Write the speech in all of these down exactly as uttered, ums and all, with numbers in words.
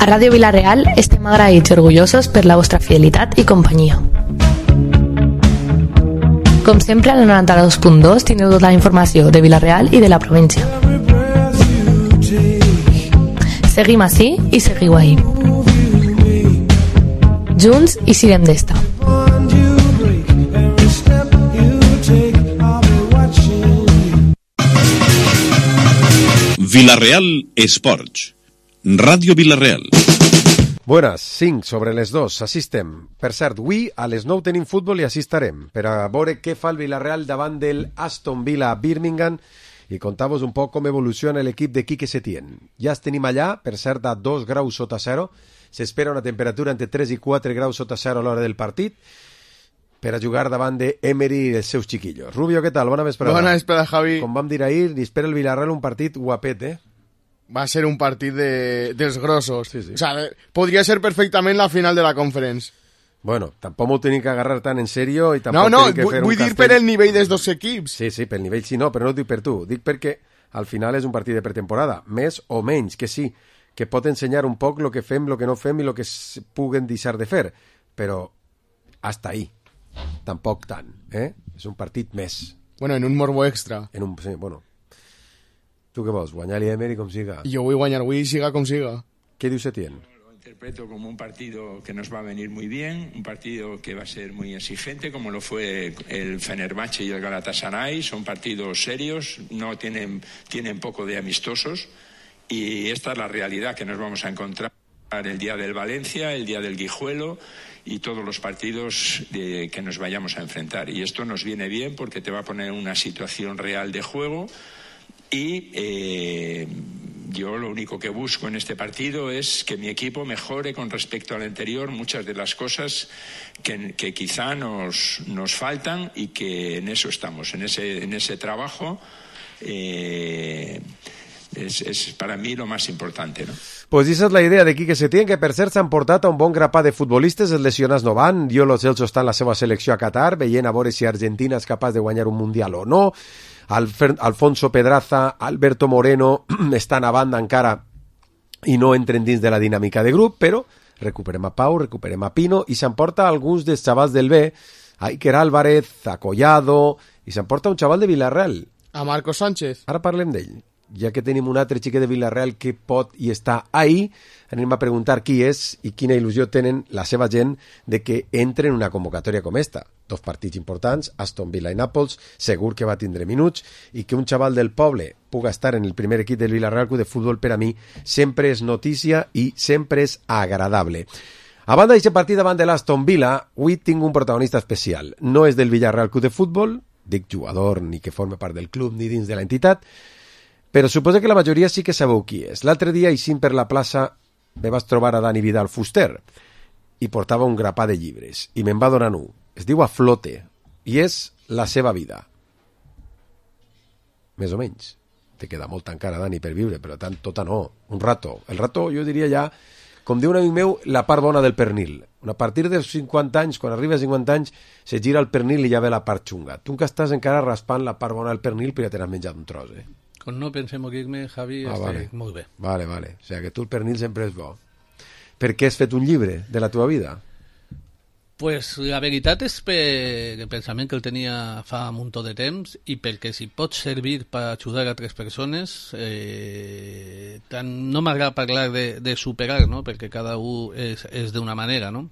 A Ràdio Vila-real estem agraïts i orgullosos per la vostra fidelitat i companyia. Com sempre, al noranta-dos punt dos tindreu tota la informació de Vila-real i de la província. Seguim ací i seguiu ahí. Junts i sirem d'esta. Vila-real Esports. Ràdio Vila-real. Buenas, cinc sobre les dos, així estem. Per cert, avui a les nou tenim futbol i així estarem, per a veure què fa el Vila-real davant del Aston Villa a Birmingham i contar-vos un poc com evoluciona l'equip de Quique Setién. Ja els tenim allà, per cert, a dos graus sota zero. S'espera una temperatura entre tres i quatre graus sota zero a l'hora del partit per a jugar davant de Emery i els seus chiquillos. Rubio, què tal? Bona vesprada. Bona vesprada, Javi. Com vam dir ahir, li espera el Villarreal un partit guapet, eh? Va ser un partit de, dels grossos. Sí, sí. O sea, podria ser perfectament la final de la Conference. Bueno, tampoc m'ho tenim que agarrar tan en serio i tampoc no, no, tenim que fer vull un dir castell... per el nivell dels dos equips. Sí, sí, pel nivell sí, no, però no ho dic per tu. Dic perquè al final és un partit de pretemporada, més o menys, que sí, que pot ensenyar un poc el que fem, el que no fem i el que es puguen deixar de fer, però hasta ahí. Tampoc tant, eh? És un partit més. Bueno, en un morbo extra. En un, sí, bueno. Tu què vols? Guanyar l'Emery com siga? Jo vull guanyar avui, siga com siga. Què diu Setién? Lo interpreto como un partido que nos va a venir muy bien, un partido que va a ser muy exigente, como lo fue el Fenerbahce y el Galatasaray. Son partidos serios, no tienen, tienen poco de amistosos, y esta es la realidad que nos vamos a encontrar el día del Valencia, el día del Guijuelo y todos los partidos de, que nos vayamos a enfrentar. Y esto nos viene bien porque te va a poner una situación real de juego. Y eh, yo lo único que busco en este partido es que mi equipo mejore con respecto al anterior muchas de las cosas que, que quizá nos, nos faltan, y que en eso estamos, en ese, en ese trabajo. Eh, és, és per a mi lo més important, no? Pues esa és la idea de Quique Setién, que per cert s'han portat a un bon grapat de futbolistes, els lesionats no van. Diolo Celso està en la seva selecció a Qatar, veient a veure si Argentina és capaç de guanyar un Mundial o no. Alfer, Alfonso Pedraza, Alberto Moreno estan a banda encara i no entren dins de la dinàmica de grup, però recuperem a Pau, recuperem a Pino i s'emporta alguns dels xavals del B, a Iker Álvarez, a Collado, i s'emporta un xaval de Villarreal. A Marco Sánchez. Ara parlem d'ell. Ja que tenim un altre xiquet de Villarreal que pot i està ahí, anem a preguntar qui és i quina il·lusió tenen la seva gent de que entre en una convocatòria com esta. Dos partits importants, Aston Villa i Nàpols, segur que va tindre minuts, i que un xaval del poble puga estar en el primer equip del Villarreal Club de Futbol, per a mi sempre és notícia i sempre és agradable. A banda d'aquest partit davant de l'Aston Villa, avui tinc un protagonista especial. No és del Villarreal Club de Futbol, dic jugador ni que forme part del club ni dins de l'entitat, però suposo que la majoria sí que sabeu qui és. L'altre dia, eixint per la plaça, me vaig trobar a Dani Vidal Fuster i portava un grapà de llibres i me'n va donar un. Es diu A Flote i és la seva vida. Més o menys. Te queda molt encara, Dani, per viure, però tant tota no. Un rato. El rato, jo diria ja, com diu un amic meu, la part bona del pernil. A partir dels cinquanta anys, quan arriba a cinquanta anys, se gira el pernil i ja ve la part xunga. Tu que estàs encara raspant la part bona del pernil, però ja te n'has menjat un tros, eh? Con no pensé morir-me, Javi, ah, estic vale. molt bé. Vale, vale. O sigui que tu el pernil sempre és bo. Per què has fet un llibre de la teva vida? Pues la veritat és per el pensament que el tenia fa un muntó de temps, i perquè si pot servir per ajudar a altres persones, eh, tant, no m'agrada parlar de, de superar, no? Perquè cada un és, és d'una manera, no?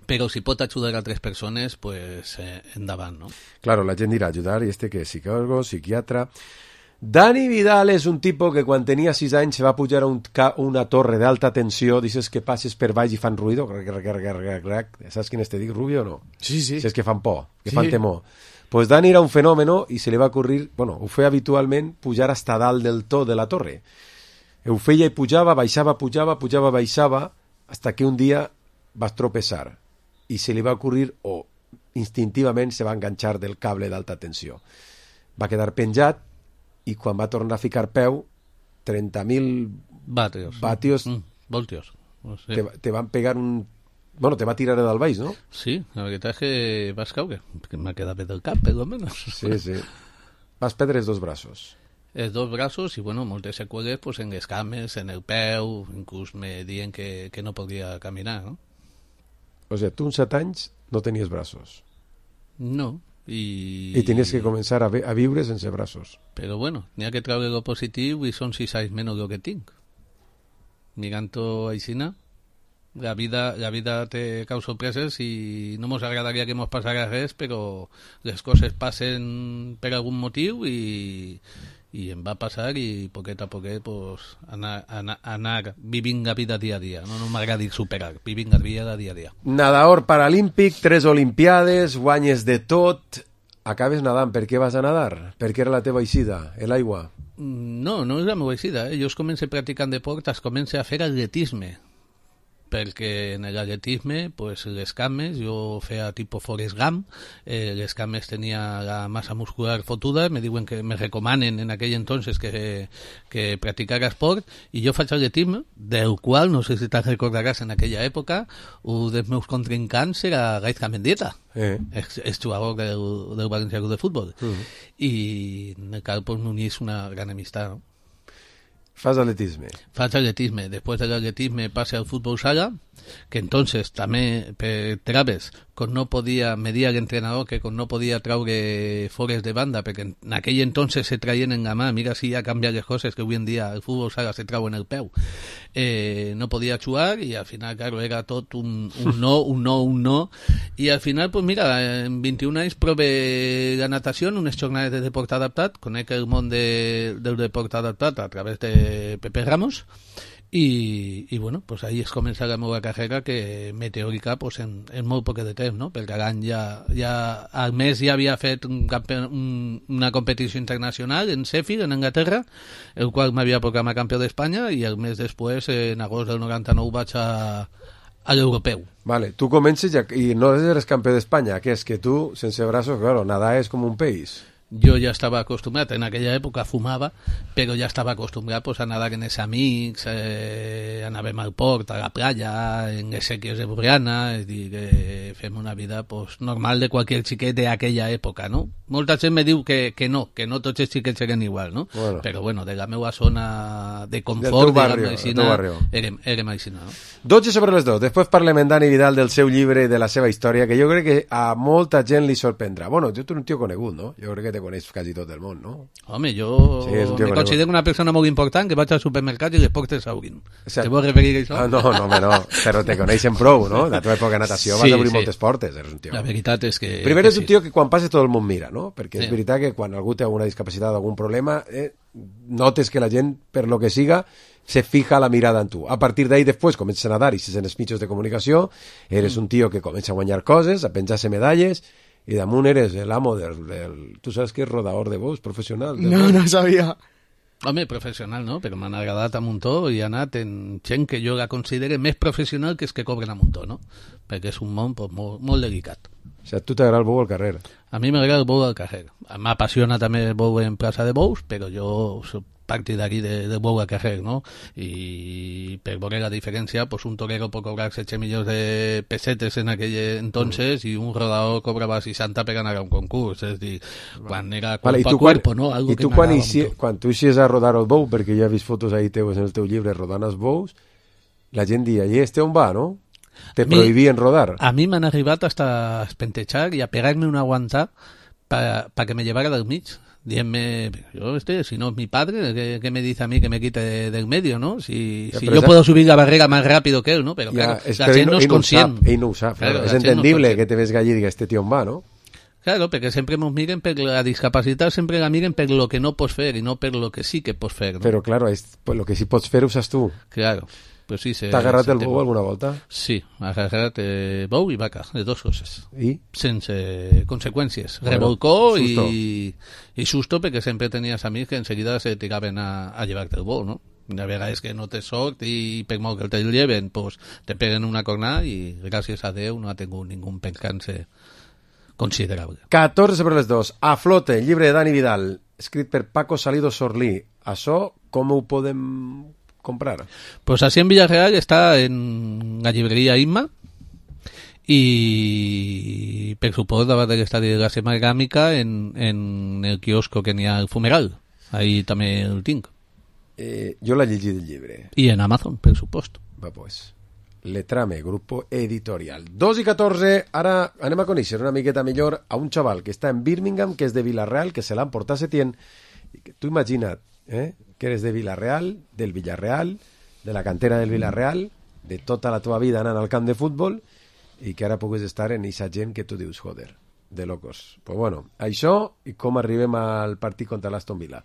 Però si pot ajudar a altres persones, pues eh, endavant, no? Claro, la gent dirà ajudar, i este que és psicòlogo, psiquiatra... Dani Vidal és un tipus que quan tenia sis anys se va pujar a un, una torre d'alta tensió, dices que passes per baix i fan ruïdo, saps quin te dic, Rubio, o no? Sí, sí. Saps que fan por, que sí. fan temor. Pues Dani era un fenòmeno i se li va ocurrir, bueno, ho feia habitualment, pujar hasta dalt del to de la torre. Ho feia i pujava, baixava, pujava, pujava, baixava, hasta que un dia va tropezar i se li va ocurrir, o instintivament se va enganxar del cable d'alta tensió. Va quedar penjat, i quan va tornar a ficar peu, trenta mil vatios, vatios mm, voltios. No sé. te, te van pegar un... Bueno, te va tirar del baix, ¿no? Sí, la veritat és que vas caure, que m'ha quedat bé del cap, per lo menos. Sí, sí. Vas perdre els dos braços. els dos braços i, bueno, moltes seqüeles pues, en les cames, en el peu, inclús me diuen que, que no podia caminar, no? O sigui, tu amb set anys no tenies braços. No, i... I tenies que començar a, vi a viure sense braços. Però, bueno, n'hi ha que treure lo positiu i són sis anys menys el que tinc. Mirant-ho aixina, la vida, la vida té cau sorpreses i no mos agradaria que mos passara res, però les coses passen per algun motiu i, i em va passar i poquet a poquet pues, anar, anar, anar vivint la vida dia a dia. No, no m'agrada dir superar, vivint la vida dia a dia. Nadador paralímpic, tres olimpiades, guanyes de tot, acabes nedant. Per què vas a nedar? Per què era la teva eixida, l'aigua? No, no és la meva eixida. Eh? Jo es començo practicant deport, es començo a fer atletisme, perquè en l'atletisme pues, les cames, jo feia tipus Forrest Gump, eh, les cames tenia la massa muscular fotuda, me diuen que me recomanen en aquell entonces que, que practicara esport, i jo faig atletisme, del qual, no sé si te'n recordaràs en aquella època, un dels meus contrincants era Gaizka Mendieta, eh. ex, ex jugador del, del València Club de Futbol, uh -huh. i en el qual pues, m'unís una gran amistat, no? Fas atletisme. Faig atletisme. Després de l'atletisme passe al futbol sala, que entonces també per traves, quan no podia, me dia l'entrenador que quan no podia traure fores de banda, perquè en aquell entonces se traien en la mà, mira si ja canvia les coses, que avui en dia el futbol sala se trau en el peu, eh, no podia jugar i al final, claro, era tot un, un no, un no, un no, i al final, pues mira, en vint-i-un anys prove la natació en unes jornades de deport adaptat, conec el món de, del deport adaptat a través de Pepe Ramos, i, i bueno, pues ahí es comença la meva carrera, que meteòrica pues, en, en molt poc de temps, no? Perquè l'any ja, ja, al mes ja havia fet un campió, un, una competició internacional en Sheffield, en Anglaterra, el qual m'havia proclamat campió d'Espanya, i el mes després, en agost del noranta-nou, vaig a, a l'europeu. Vale, tu comences ja, i no eres campió d'Espanya, que és que tu, sense braços, claro, nadar és com un peix. Jo ja estava acostumbrat, en aquella època fumava, però ja estava acostumbrat pues, a nadar amb els amics, eh, anàvem al port, a la playa, en les sèquies de Borriana, és dir, que fem una vida pues, normal de qualsevol xiquet d'aquella època, no? Molta gent me diu que, que no, que no tots els xiquets eren igual, no? Bueno. Però bueno, de la meva zona de confort, de la medicina, érem, érem aixina, no? dotze sobre les dos. Després parlem en Dani Vidal del seu llibre i de la seva història, que jo crec que a molta gent li sorprendrà. Bueno, jo tu ets un tio conegut, no? Jo crec que te coneix quasi tot el món, no? Home, jo sí, me considero una persona molt important, que vaig al supermercat i les portes s'obrin. O sea, te vols referir a això? Ah, no, no, home, no, però te coneixen prou, no? La teva època de natació sí, vas obrir sí. moltes portes, eres un tio. La veritat és que... Primer que és un tio que quan passa tot el món mira, no? Perquè és sí. veritat que quan algú té alguna discapacitat o algun problema, eh, notes que la gent, per lo que siga, se fija la mirada en tu. A partir d'ahí, després, comences a nadar i si en els mitjans de comunicació, eres mm. un tio que comença a guanyar coses, a penjar-se medalles, i damunt eres l'amo del, del... Tu saps que és rodador de bous professional? No, bous? No sabia. Home, professional no, però m'han agradat a muntó i he anat en gent que jo la considere més professional que els que cobren a muntó, no? Perquè és un món pues, molt, molt delicat. O sigui, a tu t'agrada el bou al carrer? A mi m'agrada el bou al carrer. M'apassiona també el bou en plaça de bous, però jo soc partidari de, de bou al carrer, no? I per veure la diferència, pues un torero pot cobrar setze milions de pessetes en aquell entonces mm. i un rodador cobrava seixanta per anar a un concurs, és dir, quan era cuerpo vale, a cuerpo, quan, no? Algo I tu quan, ixi, quan tu ixies a rodar el bou, perquè ja he vist fotos ahí teus en el teu llibre rodant els bous, la gent dia, i este on va, no? Te a prohibien mi, rodar. A mi m'han arribat hasta a espentejar i a pegar-me una aguantar para pa que me llevara del mig. Dime, yo este, si no es mi padre, ¿qué, qué me dice a mí que me quite de, del medio, no? Si, ya, si yo esa... puedo subir la barrera más rápido que él, ¿no? Pero ya, claro, la gent no és conscient. Ell no ho sap, claro, és entendible no que te ves allí i digues, este tio on va, no? Claro, perquè sempre ens miren per la discapacitat, sempre la miren per lo que no pots fer i no per lo que sí que pots fer, no? Però, claro, es, pues, lo que sí pots fer ho saps tu. Claro. Pues sí, T'ha agarrat el bou alguna volta? Sí, ha agarrat eh, bou i vaca, de dos coses. I? Sense conseqüències. Bueno, Revolcó susto. I, i susto, perquè sempre tenies amics que enseguida se tiraven a, a llevar-te el bou, no? De vegades que no te sort i per molt que te lleven, pues, te peguen una cornada i gràcies a Déu no ha tingut ningú percance considerable. catorze sobre les dos. A flote, llibre de Dani Vidal, escrit per Paco Salido Sorlí. Això, com ho podem comprar? Pues así en Villarreal está en la librería Inma y per supuesto va a estar de la Semana Gámica en, en el kiosco que n'hi ha al Fumeral. Ahí també el tinc. Eh, jo l'he llegit el llibre. I en Amazon, per supost. Va, pues. Letrame, grupo editorial. dos i catorze, ara anem a conèixer una miqueta millor a un xaval que està en Birmingham, que és de Villarreal, que se l'ha emportat Setién, i que tu imagina't, eh, que eres de Villarreal, del Villarreal, de la cantera del Villarreal, de tota la teva vida anant al camp de futbol, i que ara puguis estar en eixa gent que tu dius, joder, de locos. Pues bueno, això i com arribem al partit contra l'Aston Villa.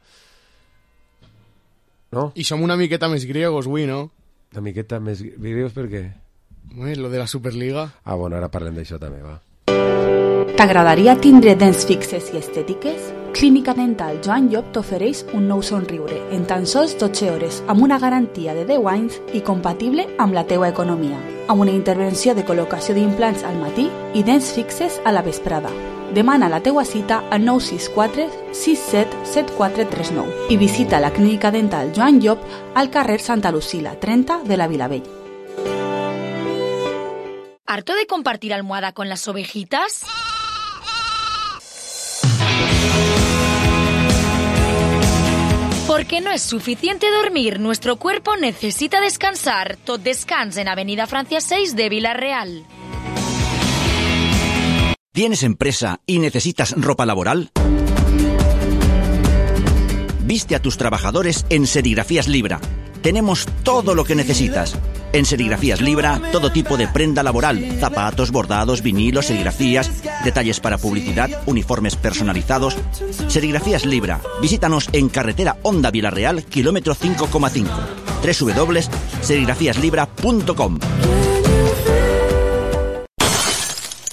No? I som una miqueta més griegos, avui, no? Una miqueta més griegos per què? Ui, lo de la Superliga. Ah, bueno, ara parlem d'això també, va. T'agradaria tindre dents fixes i estètiques? Clínica Dental Joan Llop t'ofereix un nou somriure en tan sols dotze hores amb una garantia de deu anys i compatible amb la teua economia, amb una intervenció de col·locació d'implants al matí i dents fixes a la vesprada. Demana la teua cita al nou sis quatre sis set set quatre tres nou i visita la Clínica Dental Joan Llop al carrer Santa Lucila, trenta de la Vilavell. ¿Harto de compartir almohada con las ovejitas? Porque no es suficiente dormir, nuestro cuerpo necesita descansar. Tot Descans en Avenida Francia seis de Villarreal. ¿Tienes empresa y necesitas ropa laboral? Viste a tus trabajadores en Serigrafías Libra. Tenemos todo lo que necesitas. En Serigrafías Libra, todo tipo de prenda laboral, zapatos, bordados, vinilos, serigrafías, detalles para publicidad, uniformes personalizados. Serigrafías Libra. Visítanos en carretera Honda Villarreal, kilómetro cinco coma cinco. doble u doble u doble u punto serigrafías libra punto com.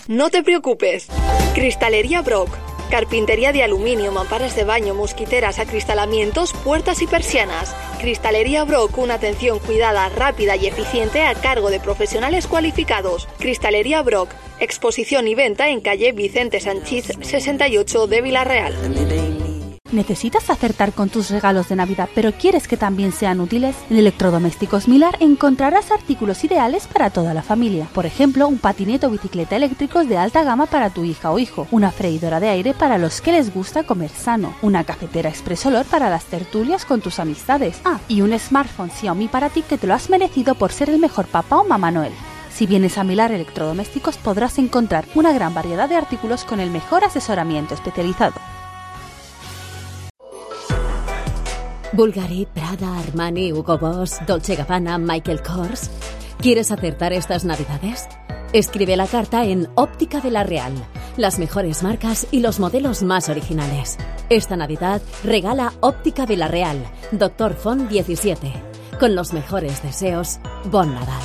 No te preocupes. Cristalería Brock. Carpintería de aluminio, mamparas de baño, mosquiteras, acristalamientos, puertas y persianas. Cristalería Brock, una atención cuidada, rápida y eficiente a cargo de profesionales cualificados. Cristalería Brock, exposición y venta en calle Vicente Sanchís sesenta y ocho de Villarreal. ¿Necesitas acertar con tus regalos de Navidad, pero quieres que también sean útiles? En Electrodomésticos Milar encontrarás artículos ideales para toda la familia. Por ejemplo, un patinete o bicicleta eléctricos de alta gama para tu hija o hijo, una freidora de aire para los que les gusta comer sano, una cafetera expresolor para las tertulias con tus amistades. Ah, y un smartphone Xiaomi para ti que te lo has merecido por ser el mejor papá o mamá Noel. Si vienes a Milar Electrodomésticos podrás encontrar una gran variedad de artículos con el mejor asesoramiento especializado. Bulgari, Prada, Armani, Hugo Boss, Dolce Gabbana, Michael Kors. ¿Quieres acertar estas navidades? Escribe la carta en Óptica de la Real. Las mejores marcas y los modelos más originales. Esta Navidad regala Óptica de la Real, Doctor Font diecisiete. Con los mejores deseos, Bon Nadal.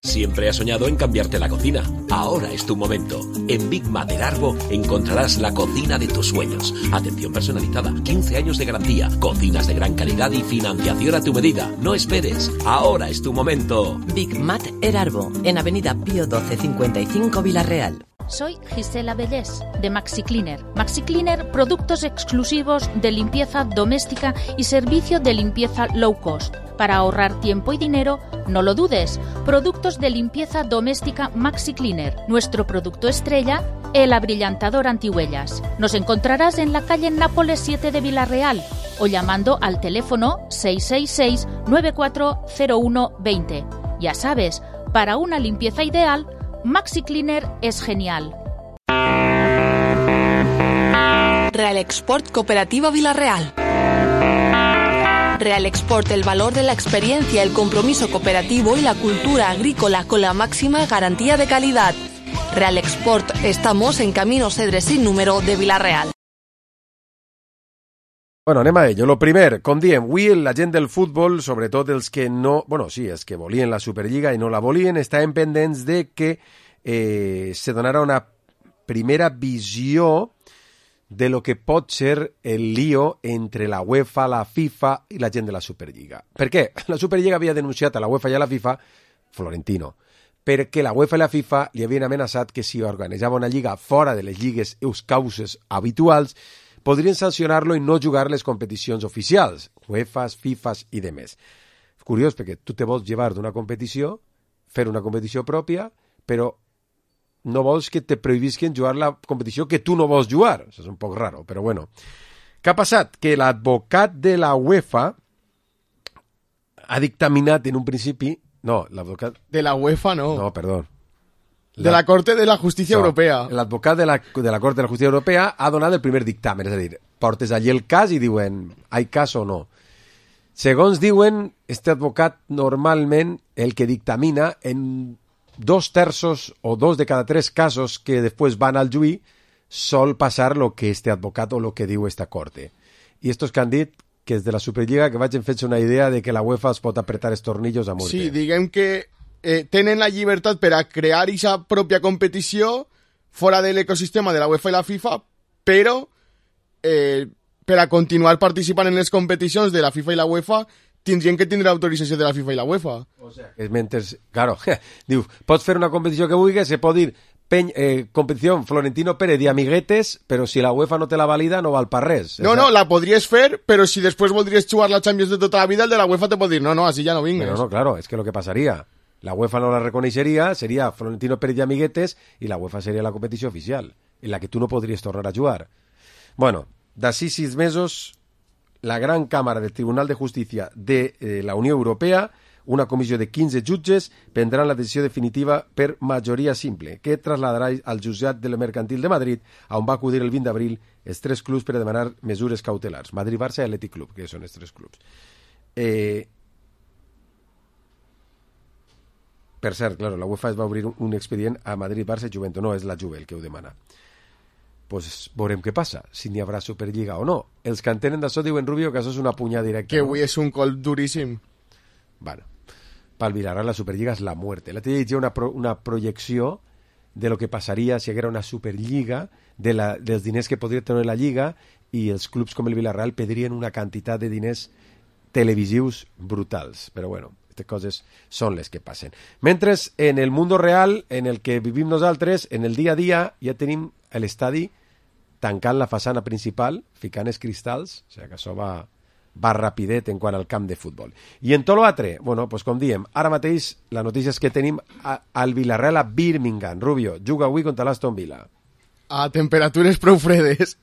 Siempre has soñado en cambiarte la cocina. Ahora es tu momento. En Big Mat del Arbo encontrarás la cocina de tus sueños. Atención personalizada, quince años de garantía, cocinas de gran calidad y financiación a tu medida. No esperes. Ahora es tu momento. Big Mat El Arbo, en Avenida Pío doce cincuenta y cinco Villarreal. Soy Gisela Bellés, de Maxi Cleaner. Maxi Cleaner, productos exclusivos de limpieza doméstica y servicio de limpieza low cost. Para ahorrar tiempo y dinero, no lo dudes. Productos de limpieza doméstica Maxi Cleaner. Nuestro producto estrella, el abrillantador antihuellas. Nos encontrarás en la calle Nápoles siete de Villarreal o llamando al teléfono seis seis seis nueve cuatro cero uno dos cero. Ya sabes, para una limpieza ideal, Maxi Cleaner es genial. Real Export Cooperativa Villarreal. Real Export, el valor de la experiencia, el compromiso cooperativo y la cultura agrícola con la máxima garantía de calidad. Real Export, estamos en Camino Cedre sin número de Villarreal. Bueno, anem a ello. Lo primer, com diem, avui la gent del futbol, sobretot els que no... Bueno, sí, els que volien la Superliga i no la volien, estaven pendents de que eh, se donarà una primera visió de lo que pot ser el lío entre la UEFA, la FIFA i la gent de la Superliga. Per què? La Superliga havia denunciat a la UEFA i a la FIFA Florentino, perquè la UEFA i la FIFA li havien amenaçat que si organitzava una lliga fora de les lligues eus causes habituals podrien sancionar-lo i no jugar les competicions oficials, UEFAs, FIFAs i demés. Curiós, perquè tu te vols llevar d'una competició, fer una competició pròpia, però no vols que te prohibisquen jugar la competició que tu no vols jugar. Això és un poc raro, però bueno. Què ha passat? Que l'advocat de la UEFA ha dictaminat en un principi... No, l'advocat... De la UEFA no. No, perdó. De la Corte de la Justícia no, Europea. L'advocat de la, de la Corte de la Justícia Europea ha donat el primer dictamen, és a dir, portes allí el cas i diuen, hay cas o no. Segons diuen, este advocat normalment el que dictamina en dos terços o dos de cada tres casos que després van al juí sol passar lo que este advocat o lo que diu esta corte. I estos que han dit que és de la Superliga que vagin fent-se una idea de que la UEFA es pot apretar els tornillos a muerte. Sí, diguem que eh, tenen la llibertat per a crear aquesta pròpia competició fora de l'ecosistema de la UEFA i la FIFA, però eh, per a continuar participant en les competicions de la FIFA i la UEFA tindrien que tindre autorització de la FIFA i la UEFA. O sea, és mentre... Claro, diu, pots fer una competició que vulguis, se pot dir Peny, eh, competició Florentino Pérez i amiguetes, però si la UEFA no te la valida no val per res. No, no, la podries fer, però si després voldries jugar la Champions de tota la vida, el de la UEFA te pot dir, no, no, así ya no vingues. Pero no, claro, es que lo que pasaría, la UEFA no la reconeixeria, seria Florentino Pérez i amiguetes, i la UEFA seria la competició oficial, en la que tu no podries tornar a jugar. Bueno, d'ací sis mesos, la gran càmera del Tribunal de Justícia de eh, la Unió Europea, una comissió de quinze jutges, prendran la decisió definitiva per majoria simple, que trasladarà al jutjat del Mercantil de Madrid, on va acudir el vint d'abril els tres clubs per a demanar mesures cautelars. Madrid, Barça i Atlètic Club, que són els tres clubs. Eh... Per cert, claro, la UEFA es va obrir un expedient a Madrid, Barça i Juventus, no és la Juve el que ho demana. Pues veurem què passa, si n'hi haurà Superliga o no. Els que entenen d'això diuen, Rubio, que això és una punyada directa. Que avui no? És un col duríssim. Bueno, pel Villarreal la Superliga és la muerte. L'altre dia hi ha una, pro, una projecció de lo que passaria si hi haguera una Superliga, de la, dels diners que podria tenir la Lliga, i els clubs com el Villarreal pedrien una quantitat de diners televisius brutals. Però bueno, aquestes coses són les que passen. Mentre en el mundo real, en el que vivim nosaltres, en el dia a dia, ja tenim l'estadi tancant la façana principal, ficant els cristals, o sigui que això va... va rapidet en quant al camp de futbol. I en tot l'altre, bueno, pues com diem, ara mateix la notícia és que tenim a, al Villarreal a Birmingham. Rubio, juga avui contra l'Aston Villa. A temperatures prou fredes.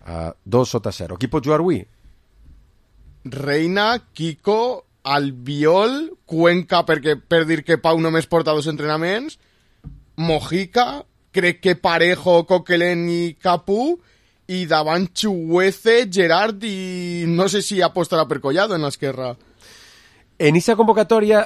A dos sota zero. Qui pot jugar avui? Reina, Kiko, Albiol, Cuenca, perquè per dir que Pau només porta dos entrenaments, Mojica, crec que Parejo, Coquelin i Capú, i davant Chuguece, Gerard i no sé si apostarà per Collado en l'esquerra. En aquesta convocatòria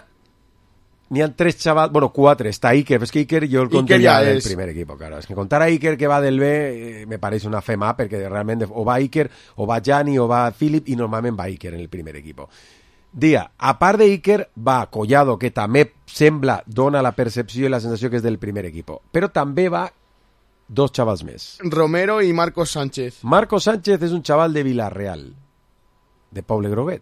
n'hi ha tres xavals, bueno, quatre, està Iker, és que Iker jo el conté ja del primer equip, claro. És que contar a Iker que va del B eh, me pareix una fe mà, perquè realment o va Iker, o va Gianni, o va Philip, i normalment va Iker en el primer equip. Dia, a part de Iker, va Collado, que també sembla, dona la percepció i la sensació que és del primer equip, però també va dos xavals més. Romero i Marcos Sánchez. Marcos Sánchez és un xaval de Villarreal, de Poble Groguet.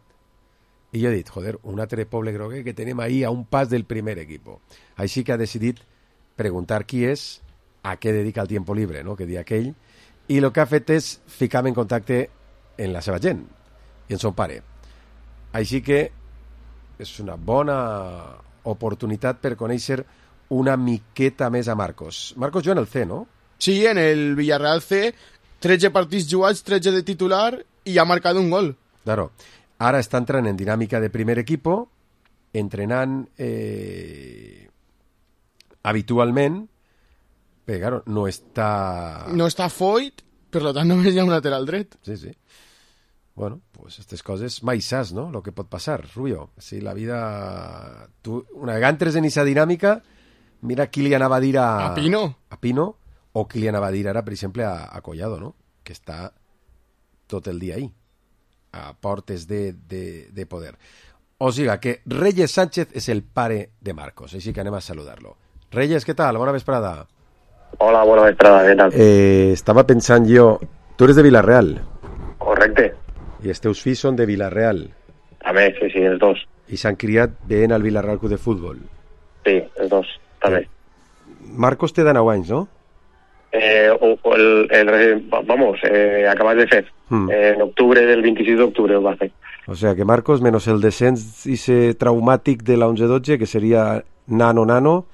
I jo he dit, joder, un altre Poble Groguet que tenim ahí a un pas del primer equip. Així que ha decidit preguntar qui és, a què dedica el tiempo libre, no?, que dia aquell, i el que ha fet és ficar-me en contacte en la seva gent i en son pare. Així que és una bona oportunitat per conèixer una miqueta més a Marcos. Marcos juga en el C, no? Sí, en el Villarreal C, tretze partits jugats, tretze de titular i ha marcat un gol. Claro. Ara està entrant en dinàmica de primer equipo, entrenant eh, habitualment, però claro, no està... No està Foyt, per tant només hi ha un lateral dret. Sí, sí. Bueno, pues estas coses mai saps, no?, lo que pot passar, Rubio. Si la vida... Tu, una vegada entres en aquesta dinàmica, mira qui li anava a dir a... A Pino. A Pino, o qui li anava a dir ara, per exemple, a, a Collado, no?, que està tot el dia ahí, a portes de, de, de poder. O sigui que Reyes Sánchez és el pare de Marcos, així que anem a saludar-lo. Reyes, què tal? Bona vesprada. Hola, bona vesprada, què tal? Eh, estava pensant jo... Tu eres de Villarreal. Correcte. I els teus fills són de Villarreal. També, sí, sí, els dos. I s'han criat veient al Villarreal Club de Futbol. Sí, els dos, també. Eh, Marcos té de nou anys, no? Eh, o, o el, el, vamos, eh, acabas de fer. Hmm. Eh, en octubre del vint-i-sis d'octubre ho va fer. O sea que Marcos, menos el descens ese traumátic de la once dotze, que seria nano-nano,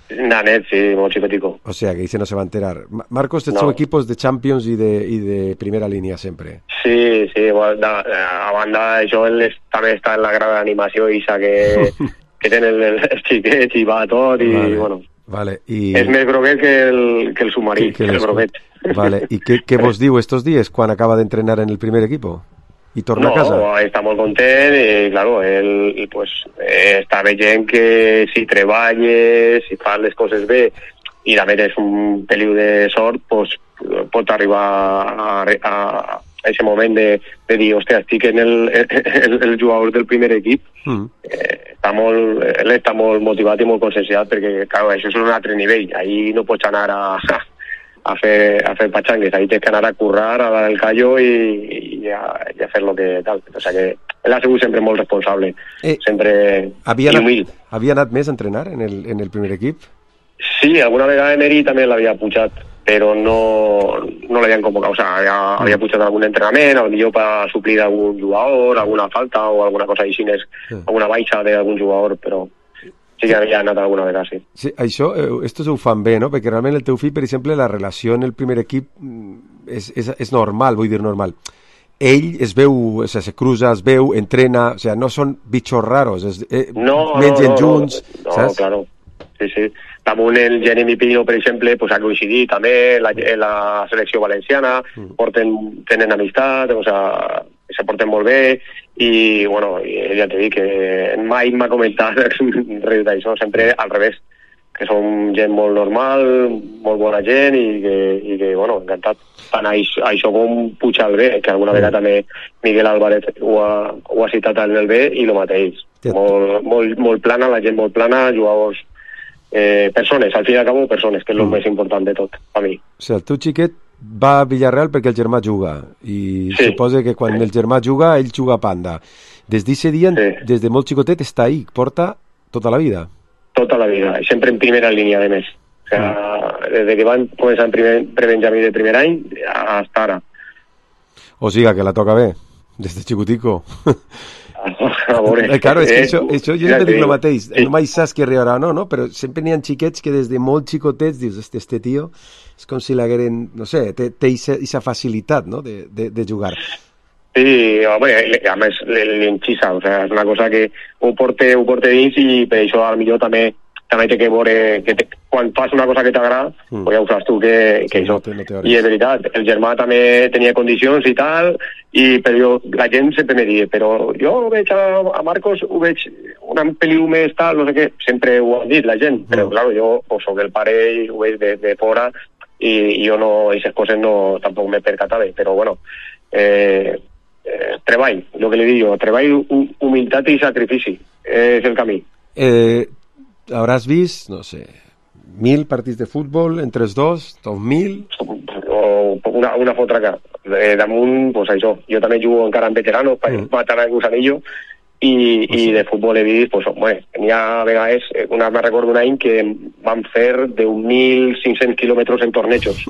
Nanet, sí, molt xicotito. O sea, que dice no se va a enterar. Marcos, estos no. son equipos de Champions y de, y de primera línea sempre. Sí, sí, bueno, a banda això ell també està en la grada d'animació i que, que tenen el, els xiquets i va tot i vale, bueno, vale, y... és més groguet que el, que el submarí, que, que el groguet. Vale, ¿y qué, qué vos diu estos días cuando acaba de entrenar en el primer equipo? ¿Y torna no, a casa? No, està molt content i, claro, ell pues, eh, està veient que si treballes, si fas les coses bé i també tens un peliu de sort, pues, pot arribar a, a, a aquest moment de, de dir, hòstia, estic en el, el, el jugador del primer equip. Mm. Eh, està molt, ell està molt motivat i molt conscienciat perquè, claro, això és un altre nivell. Ahí no pots anar a, a fer, a fer patxangues, ahí tens que anar a currar, a dar el callo i, i, a, i a fer lo que tal. O sea que ell ha sigut sempre molt responsable, eh, sempre havia anat, humil. Havia anat més a entrenar en el, en el primer equip? Sí, alguna vegada Emery també l'havia pujat, però no, no l'havien convocat. O sea, havia, mm. havia pujat algun entrenament, potser per suplir algun jugador, alguna falta o alguna cosa així, mm. alguna baixa d'algun jugador, però sí que havia anat alguna vegada, sí. Sí, això, esto ho fan bé, no? Perquè realment el teu fill, per exemple, la relació en el primer equip és, és, és normal, vull dir normal. Ell es veu, o sigui, se cruza, es veu, entrena, o sigui, no són bitxos raros, es, eh, no, mengen no, no, junts, no, saps? No, claro, sí, sí. Damunt el Jeremy Pino, per exemple, pues, ha coincidit també la, la selecció valenciana, mm. porten, tenen amistat, o sigui, se porten molt bé, i, bueno, ja t'he dit que mai m'ha comentat res d'això, sempre al revés, que som gent molt normal, molt bona gent, i que, i que bueno, encantat. Tant això, això com pujar el bé, que alguna vegada també Miguel Álvarez ho ha, ho ha citat en el bé, i el mateix. Molt, molt, molt plana, la gent molt plana, jugadors, eh, persones, al fin i al cabo, persones, que és el mm. més important de tot, a mi. O sigui, el teu xiquet va a Villarreal perquè el germà juga, i sí. suposa que quan sí. el germà juga, ell juga a Panda. Des d'aquest dia, sí. des de molt xicotet, està ahí, porta tota la vida. Tota la vida, sempre en primera línia, de més. O sea, mm. des que van començar en primer, prebenjamí de primer any, hasta ara. O sigui, que la toca bé, des de xicotico. A veure, eh, claro, és que això, això jo sempre dic el mateix, sí. no mai saps qui arribarà o no, no, però sempre n'hi ha xiquets que des de molt xicotets dius, este, este tio és com si l'hagueren, no sé, té aquesta facilitat, no?, de, de, de jugar. Sí, home, a més l'enxissa, o sea, és una cosa que ho porta, ho porta dins, i per això potser també també té que veure que te, quan fas una cosa que t'agrada, mm. pues ja ho saps tu que, que sí, això. No te, no I és veritat, el germà també tenia condicions i tal, i però la gent sempre me diu, però jo veig a, a Marcos, ho veig una peliu més tal, no sé què, sempre ho han dit la gent, mm. però clar, jo pues, soc el pare i ho veig de, de fora, i, i jo no, aquestes coses no, tampoc m'he percatat, però bueno, eh, eh, treball, el que li dic jo, treball, humilitat i sacrifici, és el camí. Eh... Hauràs vist, no sé, mil partits de futbol entre els dos, dos mil? O una, una fotra que eh, damunt, pues això, jo també jugo encara en veteranos per mm. matar el gusanillo, i, pues sí. i de futbol he vist, pues, bueno, n'hi ha vegades, una, me recordo un any que van fer deu mil cinc-cents quilòmetres en tornejos.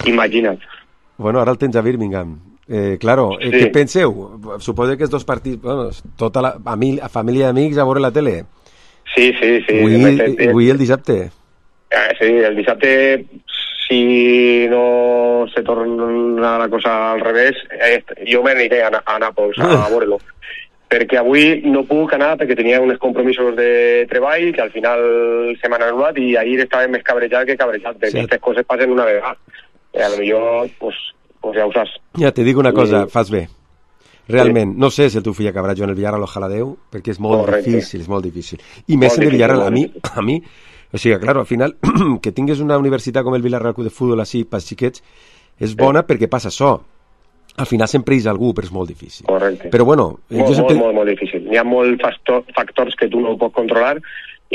Imagina't. Bueno, ara el tens a Birmingham. Eh, claro, eh, sí. Què penseu? Suposo que els dos partits, bueno, tota la a mi, a família i amics a veure la tele. Sí, sí, sí. Avui, avui el dissabte. Eh, sí, el dissabte, si no se torna la cosa al revés, eh, jo m'aniré a, a Nàpols a veure-lo. Perquè avui no puc anar perquè tenia uns compromisos de treball que al final se m'han anul·lat, i ahir estava més cabrejat que cabrejat, perquè sí. Aquestes coses passen una vegada. Eh, a lo millor, pues, pues ja ho saps. Ja te dic una cosa, I... fas bé. Realment, sí. No sé si el teu fill acabarà jugant al Villarreal, ojalà Déu, perquè és molt Correcte. difícil, és molt difícil. I més en el Villarreal, a mi, a mi, o sigui, claro, al final, que tingues una universitat com el Villarreal de futbol així, pels xiquets, és bona sí. perquè passa això. Al final sempre és algú, però és molt difícil. Correcte. Però bueno... Molt, jo sempre... molt, molt, molt difícil. Hi ha molts factor, factors que tu no pots controlar,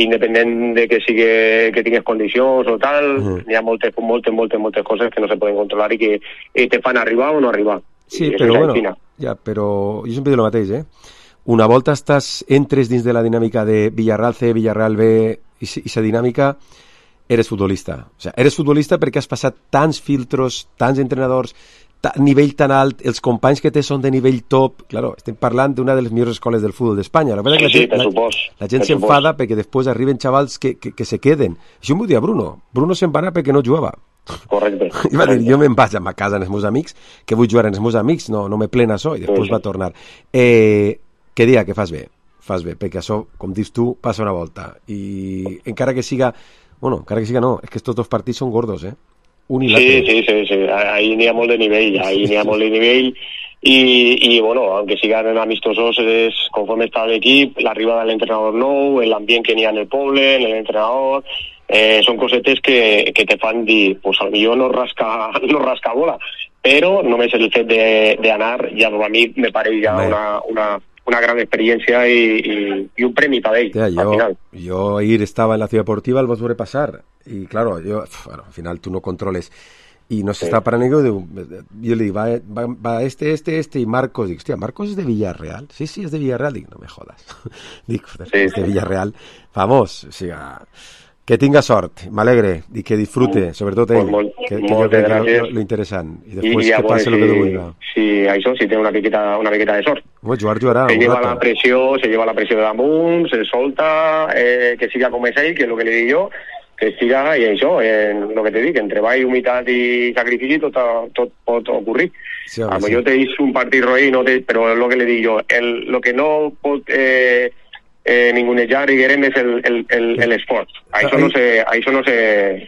independent de que sigui que tingues condicions o tal, uh -huh. hi ha moltes, moltes, moltes, moltes coses que no se poden controlar i que eh, te fan arribar o no arribar. Sí, però bueno, ja, però jo sempre dic el mateix, eh? Una volta estàs, entres dins de la dinàmica de Villarreal C, Villarreal B, i aquesta dinàmica, eres futbolista. O sea, eres futbolista perquè has passat tants filtros, tants entrenadors, ta, nivell tan alt, els companys que té són de nivell top, claro, estem parlant d'una de les millors escoles del futbol d'Espanya. La veritat sí, que la, sí, gent, la, la gent s'enfada perquè després arriben xavals que, que, que se queden. Això m'ho dia Bruno. Bruno se'n va anar perquè no jugava. Correcte. I va dir, jo me'n vaig a ma casa amb els meus amics, que vull jugar amb els meus amics, no, no me plena això, i després sí, sí. va tornar. Eh, que dia que fas bé, fas bé, perquè això, com dius tu, passa una volta. I encara que siga, bueno, encara que siga no, és que estos dos partits són gordos, eh? Un i sí, sí, sí, sí, ahí n'hi ha molt de nivell, ahí n'hi ha molt de nivell, i, i bueno, aunque sigan amistosos, es, conforme està l'equip, l'arribada de l'entrenador nou, l'ambient que n'hi ha en el poble, en l'entrenador, eh, són cosetes que, que te fan dir, pues al millor no rasca, no rasca bola, però només el fet d'anar, ja a mi me pare ja una, una, una gran experiència i, i, i un premi per ell, Tía, al yo, final. Yo ayer estaba en la ciudad deportiva, el vas a pasar, y claro, yo, bueno, al final tú no controles, y no se sí. está parando, y yo, yo le digo, va, va, va este, este, este, y Marcos, digo, hostia, ¿Marcos es de Villarreal? Sí, sí, es de Villarreal, digo, no me jodas, digo, sí, es de Villarreal, vamos, o sea... Que tinga sort, m'alegre, i que disfrute, sobretot ell, pues que, que jo crec que és lo, lo interessant. I després I, que passi si, lo que tu vulgui. Sí, això, si té una miqueta, una miqueta de sort. Bueno, jugar, jugarà. Se lleva la pressió, se lleva la pressió de damunt, se solta, eh, que siga com és ell, que és el que li dic jo, que siga, i això, en el que te dic, en treball, humitat i sacrifici, tot, tot pot ocurrir. Sí, a lo millor sí. Te un partit roí, no te, però és el que li dic jo. El, lo que no pot... Eh, Eh, ningunejar i Guerem és el, el, el, el esport. Això ahí, no se, això no se,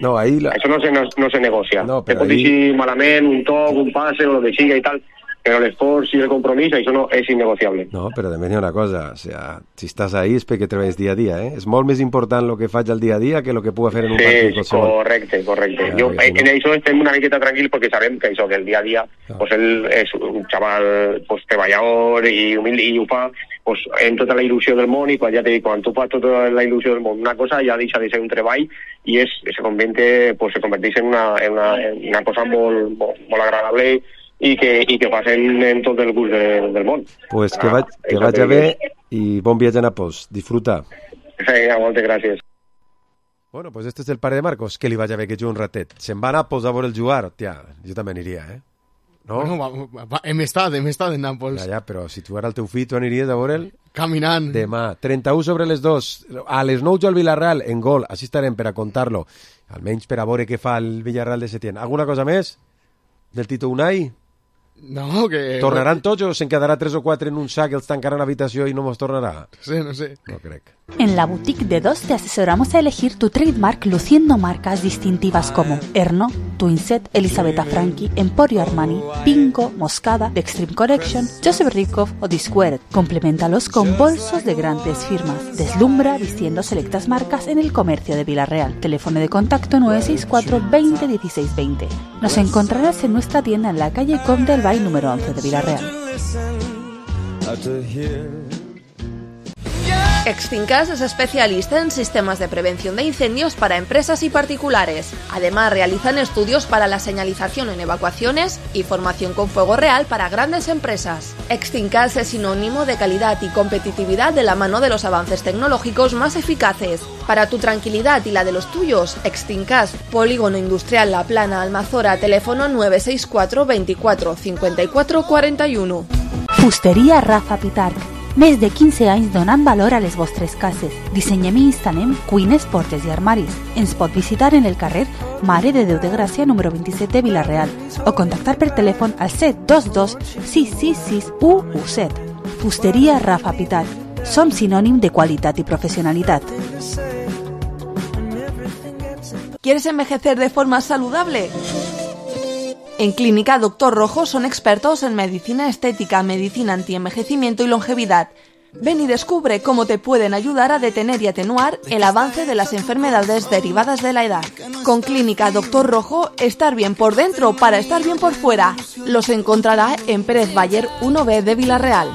no, ahí la... això no se, no, no se negocia. No, te pot ahí... dir malament, un toc, un passe o el que siga i tal, però l'esforç i el compromís, això no és innegociable. No, però també hi ha una cosa, o sea, si estàs ahí és perquè treballes dia a dia, eh? És molt més important el que faig al dia a dia que el que puc fer en un sí, partit qualsevol. Correcte, correcte. Ja, jo, en, si no... en això estem una miqueta tranquils perquè sabem que això, que el dia a dia, no. pues ell és un xaval pues, treballador i humil i ho fa pues, en tota la il·lusió del món, i quan ja te dic, quan tu fas tota la il·lusió del món, una cosa ja deixa de ser un treball i és, se, convente, pues, se converteix en una, en una, en una cosa molt, molt, molt agradable i que, i que passen en tot el curs de, del món. Pues que, va, que vagi bé i bon viatge a Nàpols. Disfruta. Sí, moltes gràcies. Bueno, pues este es el pare de Marcos, que li vagi bé que jugui un ratet. Se'n va a Nàpols a veure el jugar, tia, jo també aniria, eh? No? Bueno, va, va, hem estat, hem estat en Nàpols. Ja, ja, però si tu ara el teu fill, tu aniries a veure'l? Caminant. Demà, trenta-u sobre les dos, a les nou jo al Villarreal, en gol, així estarem per a contar-lo, almenys per a veure què fa el Villarreal de Setién. Alguna cosa més? Del Tito Unai? No, que... ¿Tornaran tots o se'n quedarà tres o quatre en un sac, els tancaran a l'habitació i no mos tornarà? No sé, no sé. No crec. En la boutique de Dos te asesoramos a elegir tu trademark luciendo marcas distintivas como Erno, Twinset, Elisabetta Franchi, Emporio Armani, Pingo, Moscada, The Extreme Collection, Joseph Rickoff o Disquared. Compleméntalos con bolsos de grandes firmas. Deslumbra vistiendo selectas marcas en el comercio de Villarreal. Teléfono de contacto nueve seis cuatro, veinte, dieciséis, veinte. Nos encontrarás en nuestra tienda en la calle Conde del Valle número once de Villarreal. Extincas es especialista en sistemas de prevención de incendios para empresas y particulares. Además, realizan estudios para la señalización en evacuaciones y formación con fuego real para grandes empresas. Extincas es sinónimo de calidad y competitividad de la mano de los avances tecnológicos más eficaces. Para tu tranquilidad y la de los tuyos, Extincas, Polígono Industrial La Plana, Almazora, teléfono nueve seis cuatro, veinticuatro, cincuenta y cuatro, cuarenta y uno. Fusteria Rafa Pitarch. Més de quinze anys donant valor a les vostres cases. Dissenyem i instal·lem cuines, portes i armaris. Ens pot visitar en el carrer Mare de Déu de Gràcia número vint-i-set de Vila-real o contactar per telèfon al set dos dos, sis sis sis, u u set. Fusteria Rafa Pitarch. Som sinònim de qualitat i professionalitat. ¿Quieres envejecer de forma saludable? En Clínica Doctor Rojo son expertos en medicina estética, medicina antienvejecimiento y longevidad. Ven y descubre cómo te pueden ayudar a detener y atenuar el avance de las enfermedades derivadas de la edad. Con Clínica Doctor Rojo, estar bien por dentro para estar bien por fuera. Los encontrará en Pérez Bayer uno B de Villarreal.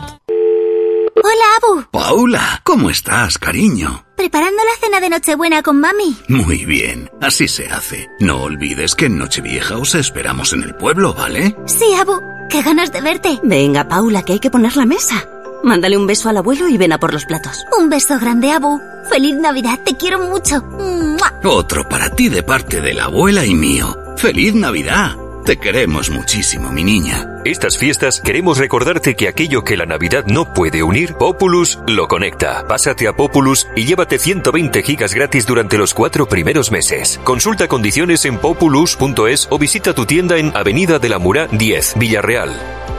Hola, Abu. Paula, ¿cómo estás, cariño? Preparando la cena de Nochebuena con mami. Muy bien, así se hace. No olvides que en Nochevieja os esperamos en el pueblo, ¿vale? Sí, Abu. Qué ganas de verte. Venga, Paula, que hay que poner la mesa. Mándale un beso al abuelo y ven a por los platos. Un beso grande, Abu. Feliz Navidad, te quiero mucho. ¡Mua! Otro para ti de parte de la abuela y mío. ¡Feliz Navidad! Te queremos muchísimo, mi niña. Estas fiestas queremos recordarte que aquello que la Navidad no puede unir, Populus lo conecta. Pásate a Populus y llévate ciento veinte gigas gratis durante los cuatro primeros meses. Consulta condiciones en populus punto es o visita tu tienda en Avenida de la Murá diez, Villarreal.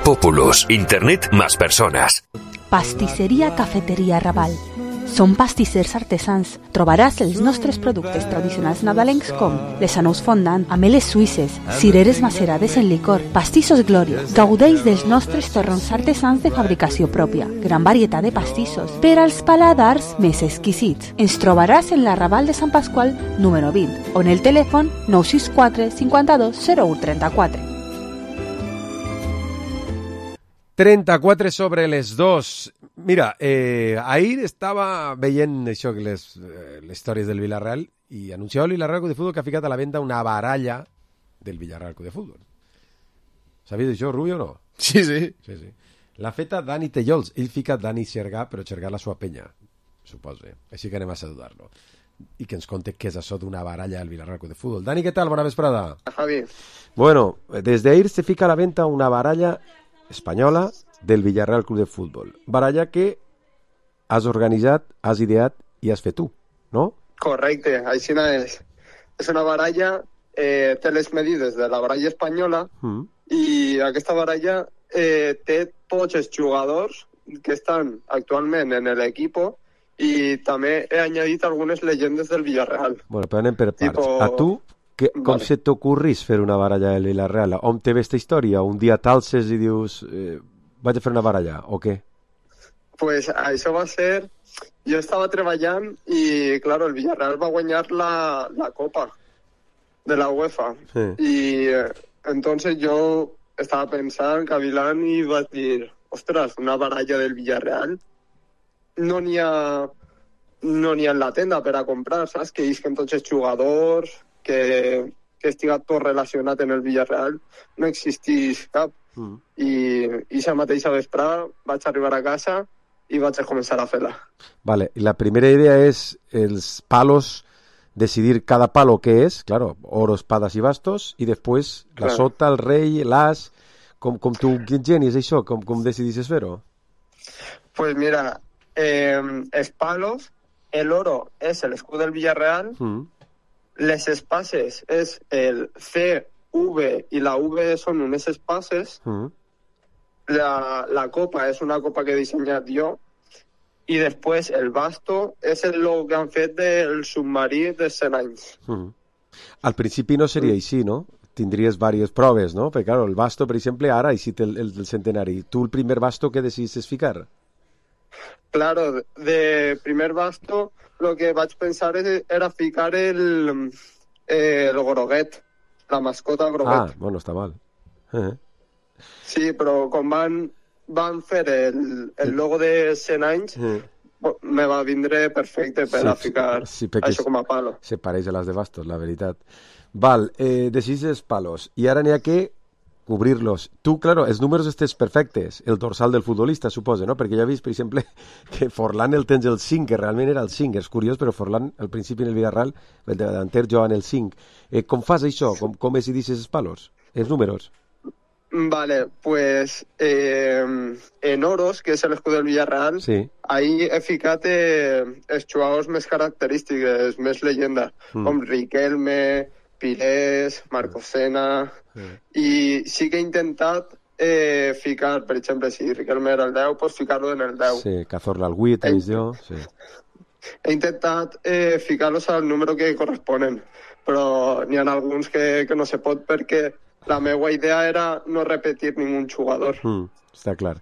Populus, Internet más personas. Pastisseria Cafeteria Raval. Són pastissers artesans. Trobaràs els nostres productes tradicionals nadalencs com les anous fondant, ameles suïsses, cireres macerades en licor, pastissos Gloria. Gaudeix dels nostres torrons artesans de fabricació pròpia. Gran varietat de pastissos per als paladars més exquisits. Ens trobaràs en la Raval de Sant Pasqual número vint o en el telèfon nou sis quatre cinquanta-dos zero u trenta-quatre. trenta-quatre sobre les dos. Mira, eh, ahir estava veient això, les, eh, les històries del Villarreal i anunciava el Villarreal Club de Futbol que ha ficat a la venda una baralla del Villarreal Club de Futbol. Sabies això, Rubio, o no? Sí, sí. sí, sí. L'ha feta Dani Tellols. Ell fica Dani Xergà, però Xergà la sua penya, suposo. Així que anem a saludar-lo. I que ens conte què és això d'una baralla al Villarreal Club de Futbol. Dani, què tal? Bona vesprada. Javi. Bueno, desde ahir se fica a la venta una baralla espanyola del Villarreal Club de Futbol. Baralla que has organitzat, has ideat i has fet tu, no? Correcte, així és. És una baralla, eh, té les medides de la baralla espanyola mm. i aquesta baralla eh, té tots els jugadors que estan actualment en l'equip i també he añadit algunes llegendes del Villarreal. Bueno, però anem per parts. Tipo... A tu, que, com vale. Se t'ocorrís fer una baralla del Villarreal? On te ve esta història? Un dia t'alces i dius... Eh, vaig a fer una baralla, o què? Pues això va ser... Jo estava treballant i, claro, el Villarreal va guanyar la, la Copa de la UEFA. Sí. I eh, entonces jo estava pensant, cavilant, i vaig dir, ostres, una baralla del Villarreal no n'hi ha no n'hi ha en la tenda per a comprar, saps? Que isquen tots els jugadors, que, que estiga tot relacionat en el Villarreal, no existís cap. Mm. I, i ja mateixa vesprada vaig arribar a casa i vaig a començar a fer-la. Vale, la primera idea és els palos, decidir cada palo què és, claro, oros, espadas i bastos, i després claro. La sota, el rei, l'as, com, com tu genies això, com, com decidisses fer-ho? Pues mira, eh, els palos, el oro és l'escut del Villarreal, mm. les espases és el C, V i la V són unes espases, mm. la, la copa és una copa que he dissenyat jo i després el basto és el logo que han fet del submarí de cent anys. Mm. Al principi no seria mm. així, no? Tindries diverses proves, no? Perquè, clar, el basto, per exemple, ara ha eixit el, el, el centenari. Tu el primer basto que decidisses ficar? Claro, de primer basto lo que vaig pensar era ficar el, eh, el groguet, la mascota groguet. Ah, bueno, està mal. Eh. Sí, però com van, van fer el, el logo de cent anys, eh. me va vindre perfecte per sí, a ficar sí, això com a palo. Se pareix a les de bastos, la veritat. Val, eh, decises palos. I ara n'hi ha que cobrir-los. Tu, claro, els números estes perfectes, el dorsal del futbolista, suposa, no? Perquè ja he vist, per exemple, que Forlán el tens el cinc, que realment era el cinc, és curiós, però Forlán, al principi en el Villarreal, el davanter jugava en el cinc. Eh, com fas això? Com, com decidisses els palos? Els números? Vale, pues eh, en oros, que és l'escut del Villarreal, sí. Ahí he ficat eh, els jugadors més característics, més llegenda, mm. com Riquelme, Pires, Marcosena, sí. I sí que he intentat eh, ficar, per exemple, si Riquelme era el deu, pues ficar-lo en el deu. Sí, Cazorla al vuit, he, jo, sí. He intentat eh, ficar-los al número que corresponen, però n'hi ha alguns que, que no se pot perquè la meva idea era no repetir ningú jugador. Mm, està clar.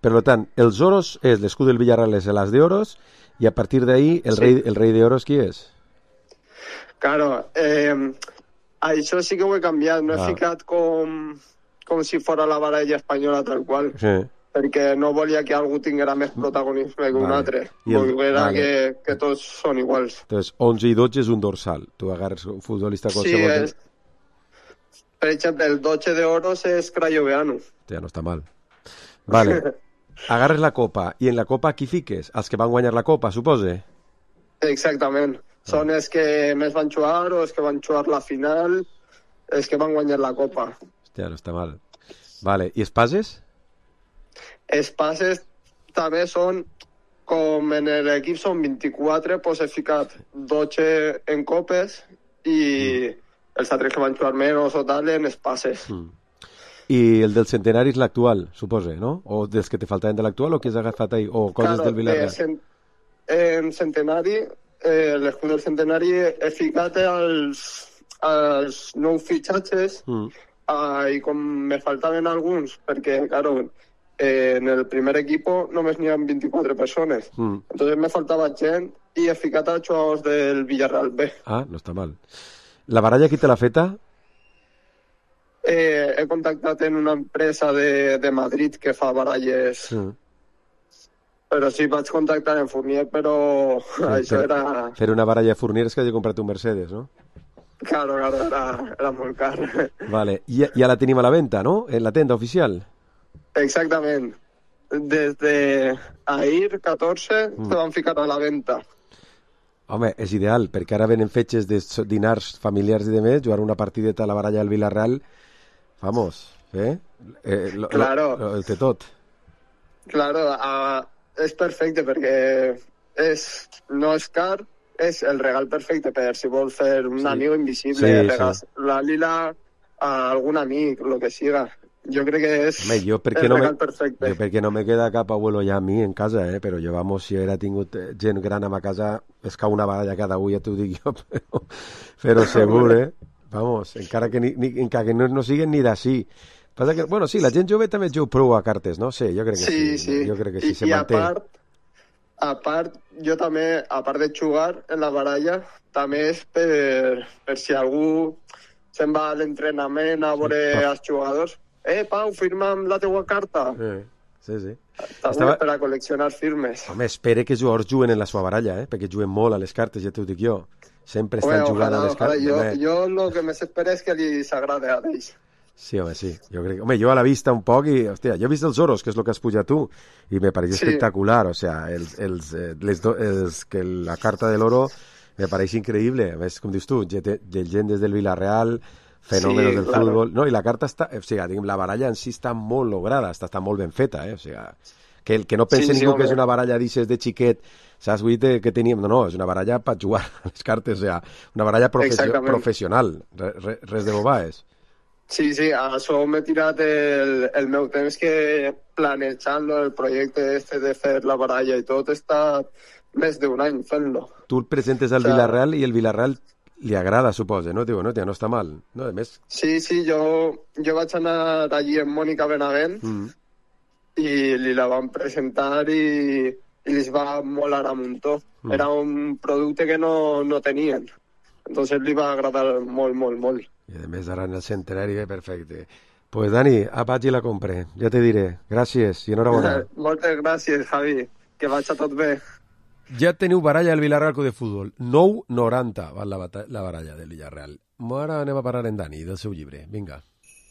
Per tant, els oros és l'escut del Villarreal, és l'as de oros, i a partir d'ahí el, sí. rei, el rei de oros qui és? Claro, eh, això sí que ho he canviat, no ah. he ficat com, com si fos la baralla espanyola tal qual, sí. Perquè no volia que algú tinguera més protagonisme que vale. Un altre, volguera vale. que, que tots són iguals. Entonces, onze i dotze és un dorsal, tu agarres un futbolista qualsevol... Sí, és... Per exemple, el dotze de oros és Crayoveanu. Ja no està mal. Vale, agarres la copa, i en la copa qui fiques? Els que van guanyar la copa, supose? Exactament. Són els que més van jugar o els que van jugar la final, els que van guanyar la copa. Hòstia, no està mal. Vale, i espases? Espases també són, com en l'equip són vint-i-quatre, doncs he ficat dotze en copes i mm. els altres que van jugar menys o tal en espases. Mm. I el del centenari és l'actual, suposa, no? O dels que te faltaven de l'actual o que has agafat ahí? O coses claro, del Villarreal? Eh, cent en centenari, eh, l'escut del centenari he ficat els, els nous fitxatges mm. uh, i com me faltaven alguns, perquè, claro, eh, en el primer equipo només n'hi ha vint-i-quatre persones. Mm. Entonces me faltava gent i he ficat els jugadors del Villarreal B. Ah, no està mal. La baralla qui te l'ha feta? Eh, he contactat en una empresa de, de Madrid que fa baralles, mm. però sí, vaig contactar en Fournier, però sí, això per, era... Fer una baralla de Fournier és que hagi comprat un Mercedes, no? Claro, claro, era, era molt car. Vale, I ja la tenim a la venda, no? En la tenda oficial. Exactament. Des de ahir, catorze, mm. se van ficar a la venda. Home, és ideal, perquè ara venen fetges de dinars familiars i de més, jugar una partideta a la baralla del Villarreal, vamos, eh? eh lo, claro. Lo, lo, el té tot. Claro, uh, és perfecte perquè és, no és car, és el regal perfecte per si vols fer un sí. amigo invisible, sí, regal, sí. la lila a algun amic, lo que siga. Jo crec que és Home, jo el no regal me, perfecte. Jo perquè no me queda cap abuelo ja a mi en casa, eh? Però jo, vamos, si era tingut gent gran a ma casa, és que una baralla cada avui, ja t'ho dic jo, però, però segur, eh? Vamos, encara que, ni, ni, encara que no, no siguin ni d'ací. Passa que, bueno, sí, la gent jove també juga prou a cartes, no? Sí, jo crec que sí. Sí, sí. Jo crec que sí, I, se i manté. a part, a part, jo també, a part de jugar en la baralla, també és per, per si algú se'n va a l'entrenament a veure sí. els jugadors. Eh, Pau, firma'm la teua carta. Eh, sí, sí. També Estava... per a col·leccionar firmes. Home, espere que els jugadors juguen en la seva baralla, eh? Perquè juguen molt a les cartes, ja t'ho dic jo. Sempre estan Home, jugant ojalà, a les cartes. Jo, jo el que més espero és que li s'agrada a ells. Sí, home, sí. Jo crec... Home, jo a la vista un poc i, hòstia, jo he vist els oros, que és el que has pujat tu, i me pareix sí. espectacular, o sea, els, els, eh, les do... els, que la carta de l'oro me pareix increïble. A més, com dius tu, gent des del Villarreal, fenòmenos sí, del claro. futbol... No, i la carta està... O sigui, diguem, la baralla en si està molt lograda, està, està molt ben feta, eh? O sigui, que, el, que no pense sí, ningú sí, que és una baralla d'ixes de xiquet, saps, vull dir que teníem... No, no, és una baralla per jugar a les cartes, o sigui, una baralla professió, professional, res, res de bobaes. Sí, sí, a això m'he tirat el, el meu temps que planejant el projecte este de fer la baralla i tot, està més d'un any fent-lo. Tu el presentes al o sea, Villarreal i el Villarreal li agrada, suposa, no? Diu, no, tia, no està mal, no? A més... Sí, sí, jo, jo vaig anar allí amb Mònica Benavent mm. i li la van presentar i, i li va molar a muntó. Mm. Era un producte que no, no tenien. Entonces li va agradar molt, molt, molt. I a més ara en el centenari, perfecte. Pues Dani, vaig i la compre, ja te diré. Gràcies i enhorabona. Moltes gràcies, Javi. Que vaig a tot bé. Ja teniu baralla del Villarreal Club de Futbol. nou noranta val la, la baralla del Villarreal. Ara anem a parar en Dani, del seu llibre. Vinga.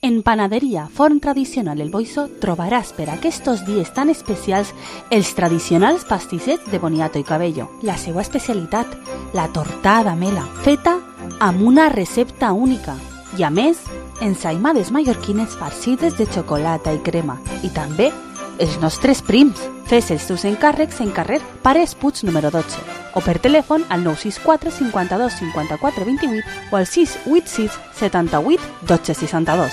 En Panaderia Forn Tradicional El Boixo trobaràs per aquests dies tan especials els tradicionals pastissets de boniato i cabello. La seva especialitat, la tortada mela, feta amb una recepta única. I a més, ensaïmades mallorquines farcides de xocolata i crema. I també els nostres prims. Fes els teus encàrrecs en carrer Pares Puig número dotze o per telèfon al nou sis quatre cinquanta-dos cinquanta-quatre vint-i-vuit o al sis vuit sis setanta-vuit dotze seixanta-dos.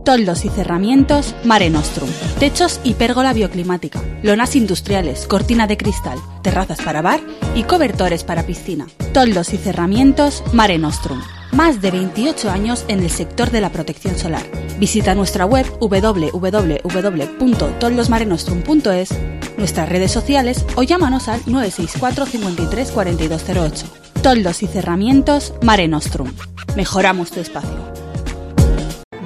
Toldos y cerramientos Mare Nostrum. Techos y pérgola bioclimática. Lonas industriales, cortina de cristal, terrazas para bar y cobertores para piscina. Toldos y cerramientos Mare Nostrum. Más de veintiocho años en el sector de la protección solar. Visita nuestra web doble u doble u doble u punto toldosmarenostrum punto es, nuestras redes sociales o llámanos al nueve seis cuatro cincuenta y tres cuarenta y dos cero ocho. Toldos y cerramientos Mare Nostrum. Mejoramos tu espacio.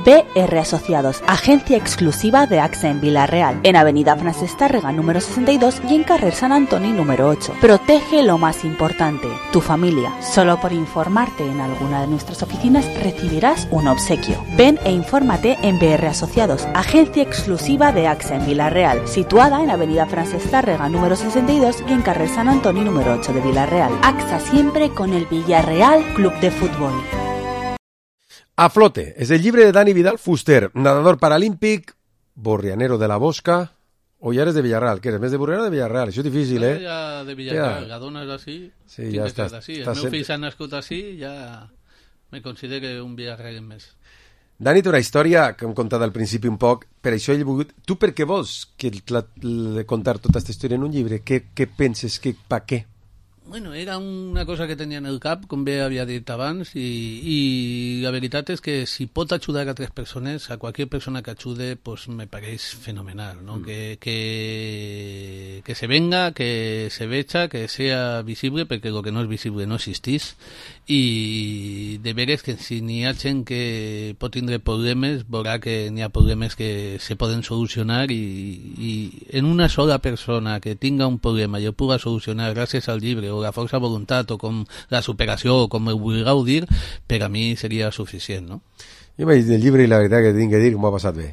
B R Asociados, agencia exclusiva de AXA en Villarreal, en Avenida Francesc Tàrrega número sesenta y dos y en Carrer San Antoni número ocho. Protege lo más importante, tu familia. Solo por informarte en alguna de nuestras oficinas recibirás un obsequio. Ven e infórmate en B R Asociados, agencia exclusiva de AXA en Villarreal, situada en Avenida Francesc Tàrrega número sesenta y dos y en Carrer San Antoni número ocho de Villarreal. AXA siempre con el Villarreal Club de Fútbol. A flote. És el llibre de Dani Vidal Fuster, nadador paralímpic, borrianero de la Bosca, o ja eres de Villarreal, que eres més de Borriana o de Villarreal? Això és difícil, eh? Ja de Villarreal, ja. La dona és així, sí, ja estàs, així. El estàs meu sent... fill s'ha nascut així, ja me considero un Villarreal més. Dani té una història que hem contat al principi un poc, per això he volgut... Tu per què vols que la, la, contar tota aquesta història en un llibre? Què, què penses? Que, pa què? Bueno, era una cosa que tenia en el cap, com bé havia dit abans, i, i la veritat és que si pot ajudar a tres persones, a qualsevol persona que ajude, pues me pareix fenomenal, ¿no? Mm. Que, que, que se venga, que se veja, que sea visible, perquè el que no és visible no existís, i de veres que si n'hi ha gent que pot tindre problemes, veurà que n'hi ha problemes que se poden solucionar, i, i en una sola persona que tinga un problema i el puga solucionar gràcies al llibre, o la força de voluntat, o com la superació, o com ho vulgueu dir, per a mi seria suficient, no? Jo m'he llegit el llibre i la veritat que tinc que dir que m'ho ha passat bé.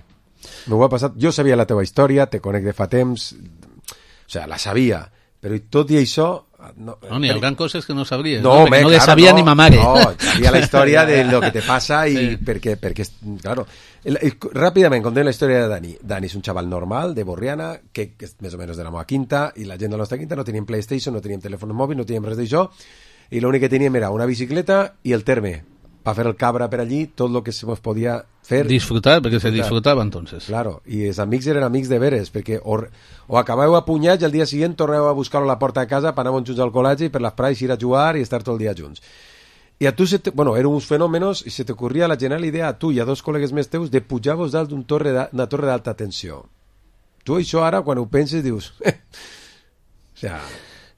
M'ho ha passat... Jo sabia la teva història, te conec de fa temps, o sigui, la sabia, però tot i això... No, no n'hi haurà coses que no sabries, no, no? Me, no claro, le sabia no, ni ma mare. No, sabia la història de lo que te passa i sí. perquè, perquè, claro, el, el, ràpidament contem la història de Dani. Dani és un xaval normal, de Borriana, que, que és més o menys de la meva quinta, i la gent de la nostra quinta no teníem PlayStation, no teníem telèfon mòbil, no teníem res d'això, i l'únic que teníem era una bicicleta i el terme, per fer el cabra per allí, tot el que se nos podia fer. Disfrutar, perquè se disfrutava entonces. Claro, i els amics eren amics de veres, perquè o, o acabeu a punyats i al dia següent torneu a buscar-lo a la porta de casa per anar junts al col·legi i per les prades ir a jugar i estar tot el dia junts. I a tu, se te, bueno, eren uns fenòmenos i se t'ocorria la genial idea a tu i a dos col·legues més teus de pujar-vos dalt d'una torre d'alta tensió. Tu això ara, quan ho penses, dius... Eh. O sea...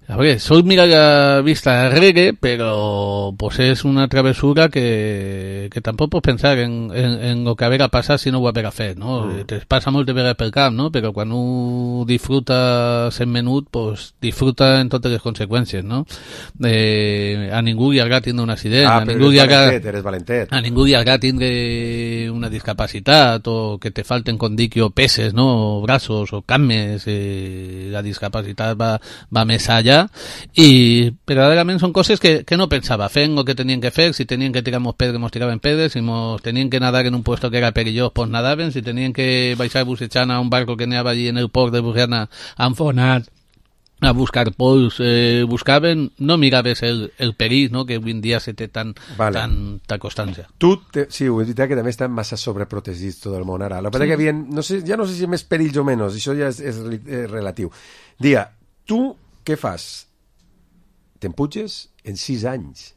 A ver, sol mirar la vista arregle, pero pues es una travesura que, que tampoc pots pensar en, en, en lo que haver passat si no ho haver fet, no? Mm. Te passa molt de vegades pel camp, no? Però quan un disfruta sent menut, pues disfruta en totes les conseqüències, no? Eh, a ningú li agrada tindre un accident, ah, a ningú li agrada... eres valentet. A ningú li agrada tindre una discapacitat o que te falten, com dic jo, peces, no? O braços o cames, eh, la discapacitat va, va més allà. I verdaderament són coses que, que no pensava, fent el que tenien que fer, si tenien que tirar mos pedres, mos tiraven pedres, si mos tenien que nadar en un puesto que era perillós, pues nadaven, si tenien que baixar bussejant a un barco que anava allí en el port de Borriana enfonat a buscar pols, eh, buscaven, no miraves el, el perill, no?, que avui en dia se té tan, vale. tan, tan constància. Tu, te, sí, ho he dit que també estan massa sobreprotegits tot el món ara. La veritat sí. que havien, no sé, ja no sé si més perills o menys, això ja és, és, és relatiu. Dia, tu què fas? Te'n puges en sis anys.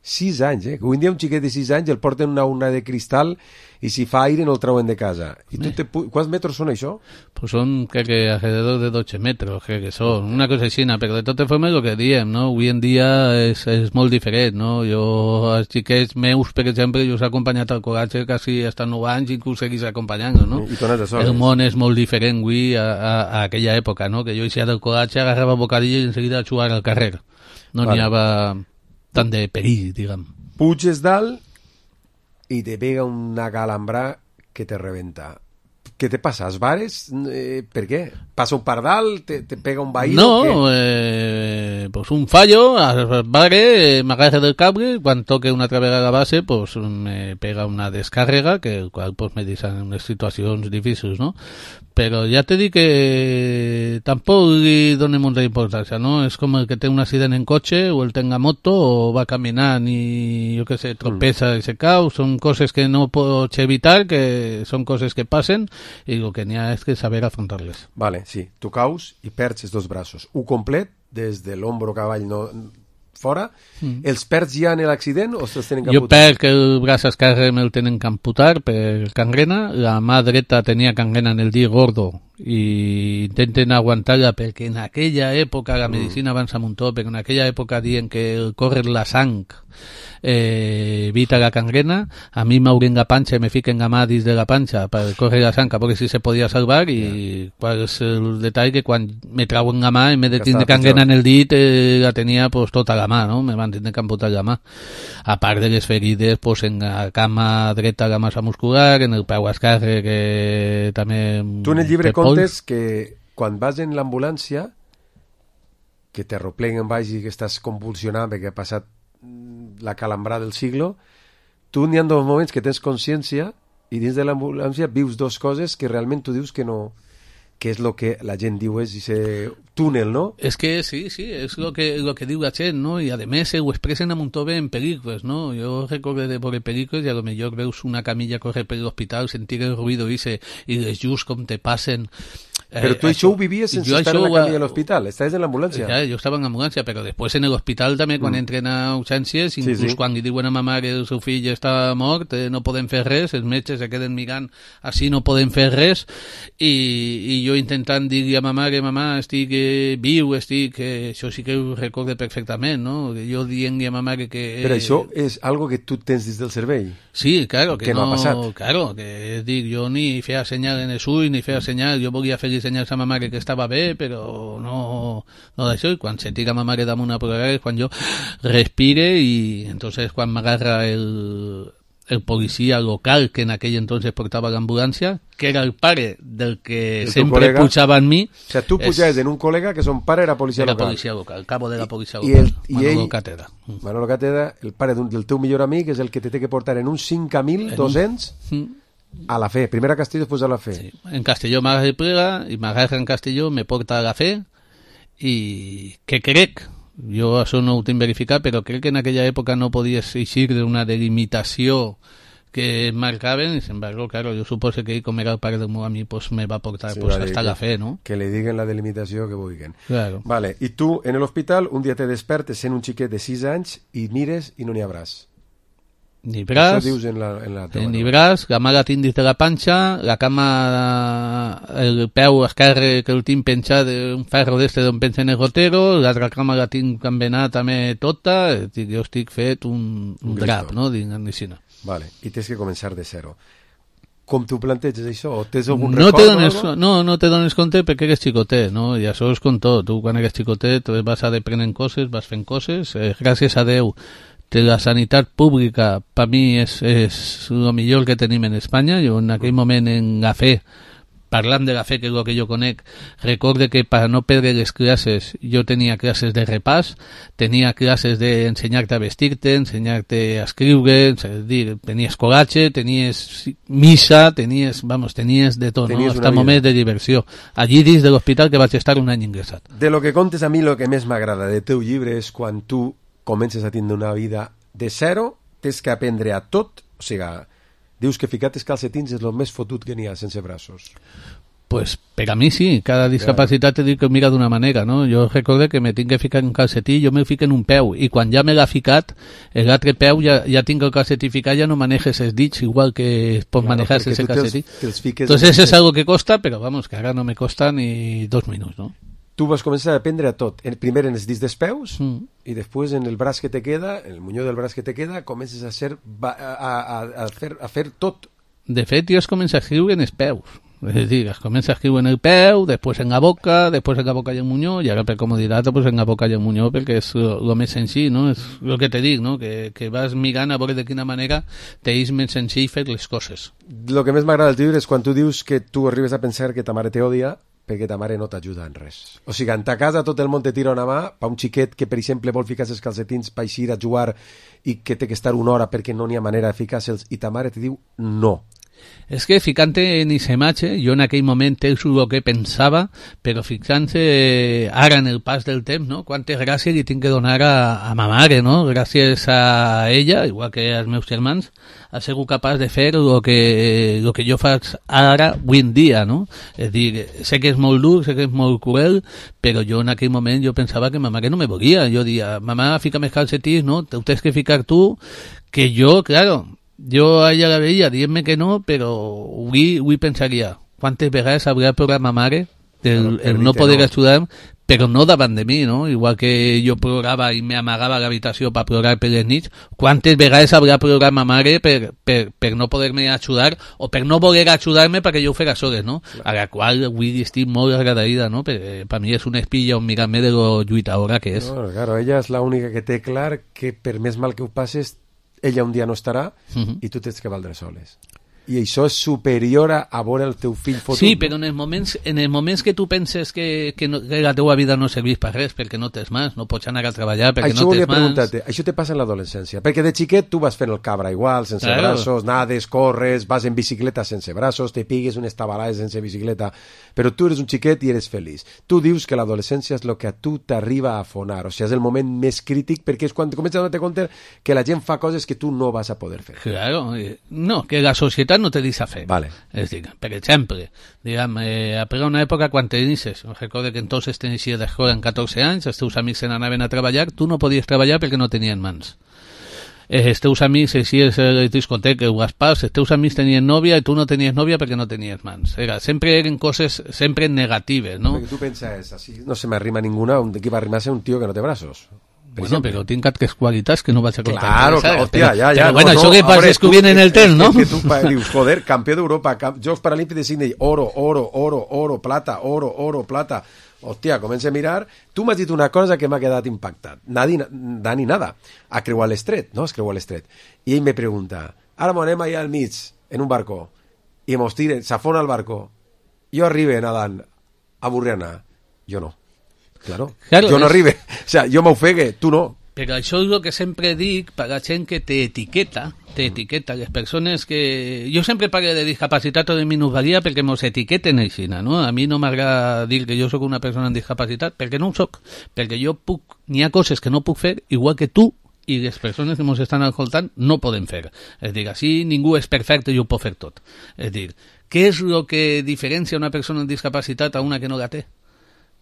Sis anys, eh? Avui en dia un xiquet de sis anys el porten una urna de cristal i si fa aire no el trauen de casa. I tu te pu- ¿Quants metros són això? Pues son, creo que alrededor de doce metros, creo que son. Una cosa així, però de totes formes el que diem, no? Avui en dia és, és molt diferent, no? Jo, els xiquets meus, per exemple, jo s'he acompanyat al col·latge quasi hasta nou anys i inclús seguís acompanyant, no? I tornes de soles. El món és molt diferent avui a, a, a aquella època, no? Que jo eixia del col·latge, agarrava bocadillo i en seguida a jugar al carrer. No vale. N'hi havia tant de perill, diguem. Puges dalt i te pega una calambra que te rebenta. ¿Qué te pasa? ¿Es bares? Eh, ¿Por qué? ¿Pasa un pardal? ¿Te, te pega un vaído? No, eh, pues un fallo, al vare, eh, me agarre del cable, quan toque una altra vegada a la base, pues me pega una descàrrega, que el qual pues, me deixa en unes situacions difícils, no? Però ja te dic que tampoc li donem molta importància, no? És com el que té un accident en cotxe o el tenga moto o va caminant i, jo què sé, tropeza mm. i se cau. Són coses que no pots evitar, que són coses que passen i el que n'hi ha és que saber afrontar-les. Vale, sí. Tu caus i perds els dos braços. Un complet, des de l'ombro cavall no... fora, mm. els perds ja en l'accident o se'ls tenen que amputar? Jo perc el braç esquerre me'l tenen que amputar per cangrena, la mà dreta tenia cangrena en el dit gordo i intenten aguantar-la perquè en aquella època la medicina mm. avança un tot, perquè en aquella època diuen que el córrer la sang eh, evita la cangrena. A mi m'obren la panxa i me fiquen la mà dins de la panxa per córrer la sang, perquè si se podia salvar i yeah. qual és el detall que quan me trauen la mà en vez de tindre cangrena en el dit eh, la tenia pues, tota la mà, no? Me van tindre que amputar la mà. A part de les ferides pues, en la cama dreta la massa muscular, en el peu esquerre que també... Tu en el llibre contes que quan vas en l'ambulància que te arropleguen baix i que estàs convulsionant perquè ha passat la calambrada del siglo, tu n'hi ha dos moments que tens consciència i dins de l'ambulància vius dos coses que realment tu dius que no... que és el que la gent diu és ese túnel, no? Es que sí, sí, es lo que, lo que diu la gent, no? I a més ho expressen a muntó bé en pel·lícules, no? Jo recordo de veure pel·lícules i a lo millor veus una camilla correr per l'hospital, sentir el ruïdo ese, i les llums com te passen... Però tu això ho vivies sense estar en la camilla de l'hospital, estaves en l'ambulància. Ja, jo estava en l'ambulància, però després en l'hospital també, quan mm. entren a urgències, inclús sí, sí. quan li diuen a ma mare que el seu fill està mort, eh, no podem fer res, els metges se queden mirant, així no podem fer res, i, i jo intentant dir-li a ma mare, mamà, estic eh, viu, estic... Eh, això sí que ho recordo perfectament, no? Jo dient-li a ma mare que... Eh, però això és algo que tu tens dins del cervell? Sí, claro, que, que no, no ha passat. Claro, que és dir, jo ni feia senyal en els ulls, ni feia senyal, jo volia fer senyals a ma mare que estava bé, però no, no d'això, i quan se tira ma mare damunt a plorar és quan jo respire i entonces quan m'agarra el, el policia local que en aquell entonces portava l'ambulància, que era el pare del que el sempre col·lega, pujava en mi. O sea, tu pujaves en un col·lega que son pare era policia era local. Era policia local, el cabo de la policia I, local, i Manolo ell, Cátedra. Manolo Cátedra, el pare del teu millor amic, és el que te té que portar en un cinc mil dos-cents un... a la fe, primero a Castelló, después a la fe. Sí. En Castelló m'agarra el plega i m'agarra en Castelló, me porta a la fe i que crec, jo això no ho tinc verificat, però crec que en aquella època no podies eixir d'una delimitació que marcaven, y sin embargo, claro, yo supuse que como era el pare del meu amic, pues me va portar sí, pues, vale, hasta que, la fe, ¿no? Que le diguen la delimitació que vulguin. Claro. Vale, i tu, en l'hospital, un dia te despertes sent un xiquet de sis anys i mires i no n'hi ha braç. Ni braç, això dius en la, en la ni braç, la mà la tinc dins de la panxa, la cama, el peu esquerre que el tinc penjat d'un ferro d'este d'on penja en el rotero, l'altra cama la tinc envenat també tota, jo estic fet un, un drap, no?, dins la medicina. Vale, i tens que començar de zero. Com tu planteges això? O tens algun no record? Te dones, no, no te dones compte perquè eres xicotet, no? I això és com tot. Tu quan eres xicotet vas aprenent coses, vas fent coses. Eh, gràcies a Déu, la sanitat pública per mi és, és el millor que tenim en Espanya. Jo en aquell moment en la fe, parlant de la fe, que és el que jo conec, recorde que per no perdre les classes jo tenia classes de repàs, tenia classes d'ensenyar-te a vestir-te, ensenyar-te a escriure, és a dir, tenies colatge, tenies missa, tenies, vamos, tenies de tot, no? Hasta moments de diversió. Allí dins de l'hospital que vaig estar un any ingressat. De lo que contes, a mi el que més m'agrada de teu llibre és quan tu comences a tindre una vida de zero, tens que aprendre a tot, o sigui, dius que ficar els calcetins és el més fotut que n'hi ha sense braços. Pues per a mi sí, cada discapacitat te diu que mira d'una manera, no? Jo recordo que me tinc que ficar un calcetí, jo me fico en un peu, i quan ja me l'ha ficat, l'altre peu ja, ja tinc el calcetí ficat, ja no manejes els dits igual que es pot claro, manejar ese calcetí. Entonces és algo que costa, però vamos, que ara no me costa ni dos minuts, no? Tu vas començar a aprendre a tot. Primer en els dits dels peus mm. i després en el braç que te queda, en el munyó del braç que te queda, comences a, ser, a, a, a, fer, a fer tot. De fet, jo es comença a escriure en els peus. És a dir, es comença a escriure en el peu, després en la boca, després en la boca i el munyó, i ara per comoditat pues en la boca i el munyó, perquè és el més senzill, no? És el que te dic, no? Que, que vas mirant a veure de quina manera t'és més senzill fer les coses. El que més m'agrada del llibre és quan tu dius que tu arribes a pensar que ta mare te odia perquè ta mare no t'ajuda en res. O sigui, en ta casa tot el món te tira una mà, per un xiquet que, per exemple, vol ficar els calcetins per eixir a jugar i que té que estar una hora perquè no n'hi ha manera de ficar-se'ls, i ta mare te diu no. És que ficant-te en ese matxe, jo en aquell moment és el que pensava, però fixant-se ara en el pas del temps, no? Quantes gràcies li tinc que donar a, a ma mare, no? Gràcies a ella, igual que als meus germans, ha sigut capaç de fer el que, el que jo faig ara, avui en dia, no? És dir, sé que és molt dur, sé que és molt cruel, però jo en aquell moment jo pensava que ma mare no me volia. Jo dia, mamà, fica'm els calcetins, no? Te ho tens que ficar tu, que jo, claro, jo a ella la veia dient-me que no, però avui, avui pensaria quantes vegades hauria plorat ma mare el, el no poder no. ajudar, però no davant de mi, no? Igual que jo plorava i m'amagava a l'habitació per plorar per les nits, quantes vegades hauria plorat ma mare per, per, per no poder-me ajudar o per no voler ajudar-me perquè jo ho fera soles, no? Claro. A la qual avui estic molt agraïda, no? Perquè per mi és una espilla un mirar-me de lo lluitadora que és. No, claro, ella és l'única que té clar que per més mal que ho passes ella un dia no estarà uh-huh. i tu tens que valdre soles. I això és superior a, a veure el teu fill fotut. Sí, però en els moments, en els moments que tu penses que, que, no, que la teva vida no serveix per res, perquè no tens mans, no pots anar a treballar perquè això no tens mans... Això te passa en l'adolescència, perquè de xiquet tu vas fent el cabra igual, sense claro. braços, nades, corres, vas en bicicleta sense braços, te pigues unes tabalades sense bicicleta, però tu eres un xiquet i eres feliç. Tu dius que l'adolescència és el que a tu t'arriba a afonar, o sigui, és el moment més crític perquè és quan comences a donar-te compte que la gent fa coses que tu no vas a poder fer. Claro, no, que la societat no te deixa fer. Vale. És dir, per exemple, diguem, eh, a una època quan tenies, recordo que entonces tenies d'escola en catorze anys, els teus amics se n'anaven a treballar, tu no podies treballar perquè no tenien mans. Eh, els teus amics, si és el discoteca o Gaspars, els teus amics tenien nòvia i tu no tenies nòvia perquè no tenies mans. Era, sempre eren coses sempre negatives, no? Perquè tu penses, así no se m'arrima ninguna, un qui va arrimar-se un tio que no té braços. Bueno, però tinc altres qualitats que no vaig a contar. Claro, claro, hòstia, ja, ja. Però, bueno, no, això no, que passa és que ho viene en el temps, no? És que tu dius, joder, campió d'Europa, camp... Jocs Paralímpics de Sydney, oro, oro, oro, oro, plata, oro, oro, plata. Hòstia, comença a mirar. Tu m'has dit una cosa que m'ha quedat impactat. Nadi, Dani nada. A creuar l'estret, no? Es creuar l'estret. I ell me pregunta, ara m'anem allà al mig, en un barco, i mos tiren, s'afona el barco. Jo arribe nadant a Burriana. Jo no. Claro, claro jo no arribe, o sea, jo m'ofegue, tu no. Però això és el que sempre dic per a la gent que t'etiqueta, t'etiqueta, les persones que... Jo sempre parlo de discapacitat o de minusvalia perquè mos etiqueten així, no? A mi no m'agrada dir que jo sóc una persona amb discapacitat, perquè no ho soc, perquè jo puc... N'hi ha coses que no puc fer, igual que tu i les persones que ens estan escoltant no poden fer. És dir, així ningú és perfecte i ho pot fer tot. És dir, què és el que diferencia una persona amb discapacitat a una que no la té?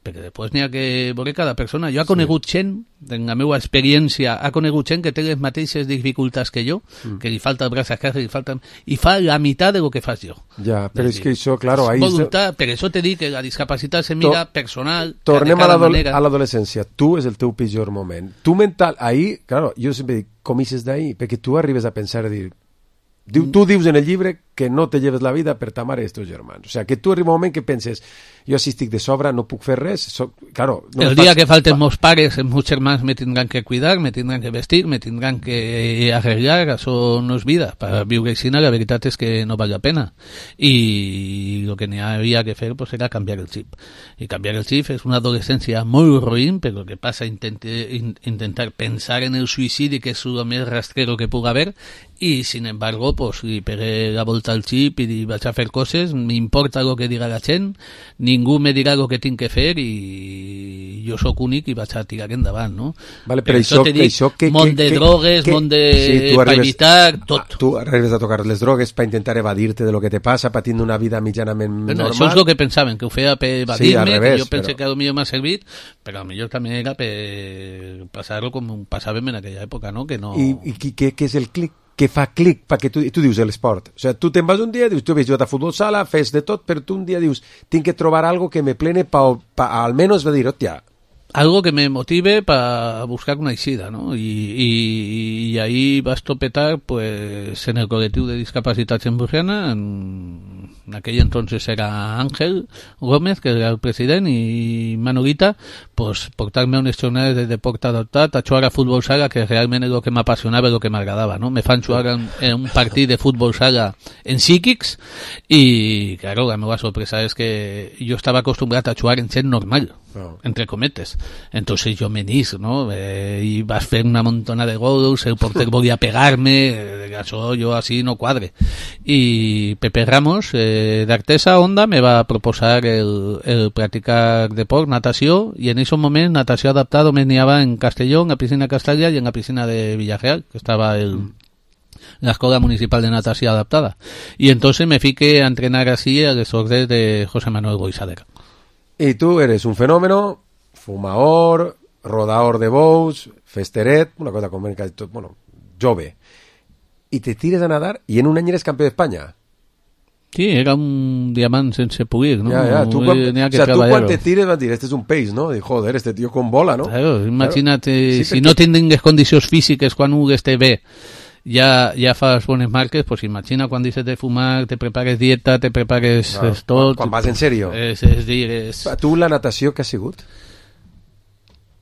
Perquè després n'hi ha que veure cada persona. Jo he conegut sí. gent, en la meva experiència, he conegut gent que té les mateixes dificultats que jo, mm. que li falta el braç esquerre, li falta... i fa la meitat de lo que fas jo. Ja, però és, és que això, claro... Ahí voluntat, per això te dic que la discapacitat se mira to personal, tornem a l'adolescència. Tu és el teu pitjor moment. Tu mental, ahí, claro, jo sempre dic, comices d'ahí, perquè tu arribes a pensar i dir... Diu, tu dius en el llibre que no te lleves la vida per ta mare i els teus germans. O sea, que tu arriba un moment que penses, jo si estic de sobre no puc fer res. Soc, claro, no el dia faig... que falten meus pares, els meus germans me tindran que cuidar, me tindran que vestir, me tindran que arreglar, això no és vida. Per viure així, la veritat és que no val la pena. I el que n'hi havia que fer pues, era canviar el xip. I canviar el xip és una adolescència molt ruïn, però el que passa intente, in, intentar pensar en el suïcidi, que és el més rastrero que pugui haver, i sin embargo, pues, li pegué la volta al xip i vaig a fer coses, m'importa el que diga la gent, ningú me dirà el que tinc que fer i jo sóc únic i vaig a tirar endavant, no? Vale, però això, això, dic, això que, món de que, drogues, que, món de... Sí, tu arribes, per evitar tot. Tu arribes a tocar les drogues per intentar evadir-te de lo que te passa, patint una vida mitjanament bueno, normal. Això és el que pensaven, que ho feia per evadir-me, sí, que jo pensé però... que potser m'ha servit, però potser també era per passar-ho com passàvem en aquella època, no? Que no... I, i què, què és el clic? Que fa clic, perquè tu, tu dius l'esport. O sigui, tu te'n vas un dia, dius, tu has jugat a futbol sala, fes de tot, però tu un dia dius, tinc que trobar algo que me plene pa, pa almenys va dir, hòstia, algo que me motive para buscar una eixida, ¿no? Y, y, y ahí vas topetar, pues, en el colectivo de discapacitats en Burriana, en, en aquell entonces era Ángel Gómez, que era el president, i Manolita, pues, portar-me unes jornades de deport adaptat a jugar a futbol sala, que realment és el que m'apassionava, el que m'agradava, no? Me fan jugar en, en un partit de futbol sala en psíquics, i, claro, la meva sorpresa és que jo estava acostumbrat a jugar en gent normal, oh. entre cometes. Entonces yo me nis, ¿no? Eh, y vas a hacer una montona de gols, el porter volia pegar-me, eh, això jo així no quadre. I Pepe Ramos, eh, d'Artesa Onda, me va proposar el, el practicar deport, natació, i en aquest moment natació adaptada me n'hi en Castelló, en la piscina Castellà i en la piscina de Villarreal, que estava el... la Escuela Municipal de Natació Adaptada. Y entonces me fiqué a entrenar así a les órdenes de José Manuel Boixader. Y tú eres un fenómeno, fumador, rodador de bous, festeret, una cosa com bueno, jove. Y te tires a nadar y en un any eres campeón de España. Sí, era un diamant sense pulir, ¿no? Ya, ya. Tú, cuan, o sea, tú cuando te tires vas a decir, este es un peix, ¿no? Y joder, este tío con bola, ¿no? Claro, imagínate, claro. Sí, si perquè... no tingues condicions físiques quan un esté bé, ja, ja fas bones marques, pues imagina quan deixes de fumar, te prepares dieta, te prepares no, tot... Quan vas en sèrio. És, és dir, és... Tu la natació que has sigut?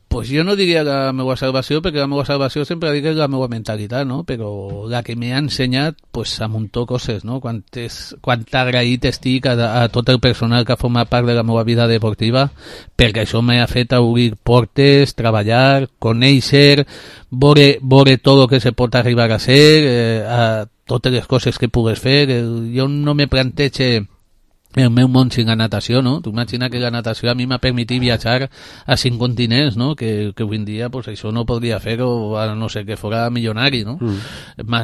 Pues jo no diria la meva salvació, perquè la meva salvació sempre dic que és la meva mentalitat, no? Però la que m'ha ensenyat, pues, a muntó coses, no? Quant, és, quant agraït estic a, a tot el personal que ha format part de la meva vida deportiva, perquè això m'ha fet obrir portes, treballar, conèixer, veure, veure tot el que se pot arribar a ser, eh, a totes les coses que pugues fer. Jo no me plantege el meu món sin la natació, no? Tu imagina que la natació a mi m'ha permitit viatjar a cinc continents, no? Que, que avui en dia pues, això no podria fer-ho, a no ser que fora milionari, no? Mm. M'ha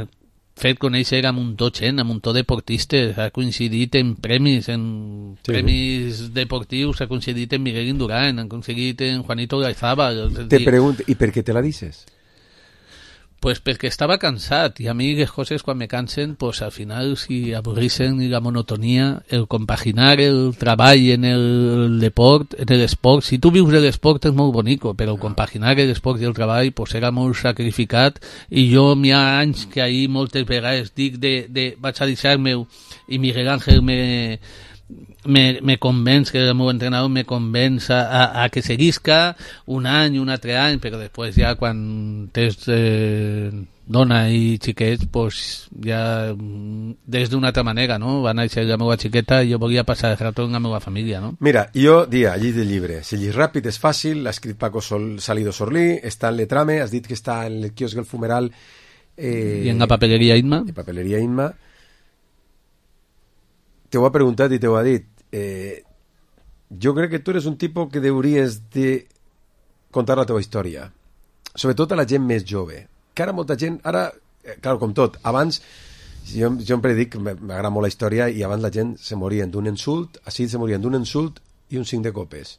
fet conèixer a muntó gent, a muntó deportistes, ha coincidit en premis, en sí. premis deportius, ha coincidit en Miguel Indurain, ha coincidit en Juanito Gaizabal. Te pregunto, ¿y per qué te la dices? Pues perquè estava cansat, i a mi les coses quan me cansen, pues al final si avorrixen la monotonia, el compaginar el treball en el deport, en l'esport, si tu vius de l'esport és molt bonico, però compaginar l'esport i el treball pues era molt sacrificat, i jo n'hi ha anys que ahir moltes vegades dic de, de vaig a deixar-me, i Miguel Ángel me me, me convenç, que el meu entrenador me convenç a, a, a que seguisca un any, un altre any, però després ja quan tens eh, dona i xiquets, pues ja des d'una altra manera, no? Va néixer la meva xiqueta i jo volia passar el rato amb la meva família, no? Mira, jo dia, llis del llibre. Si llis ràpid és fàcil, l'ha escrit Paco Sol, Salido Sorlí, està en Letrame, has dit que està en el quiosc del Fumeral. Eh, I en la papeleria Inma. En papeleria Inma. Te ho ha preguntat i te ho ha dit. Eh, jo crec que tu eres un tipus que hauries de contar la teva història, sobretot a la gent més jove, que ara molta gent, ara, eh, clar, com tot, abans, jo, jo sempre dic, m'agrada molt la història, i abans la gent se morien d'un insult, així se morien d'un insult i un cinc de copes.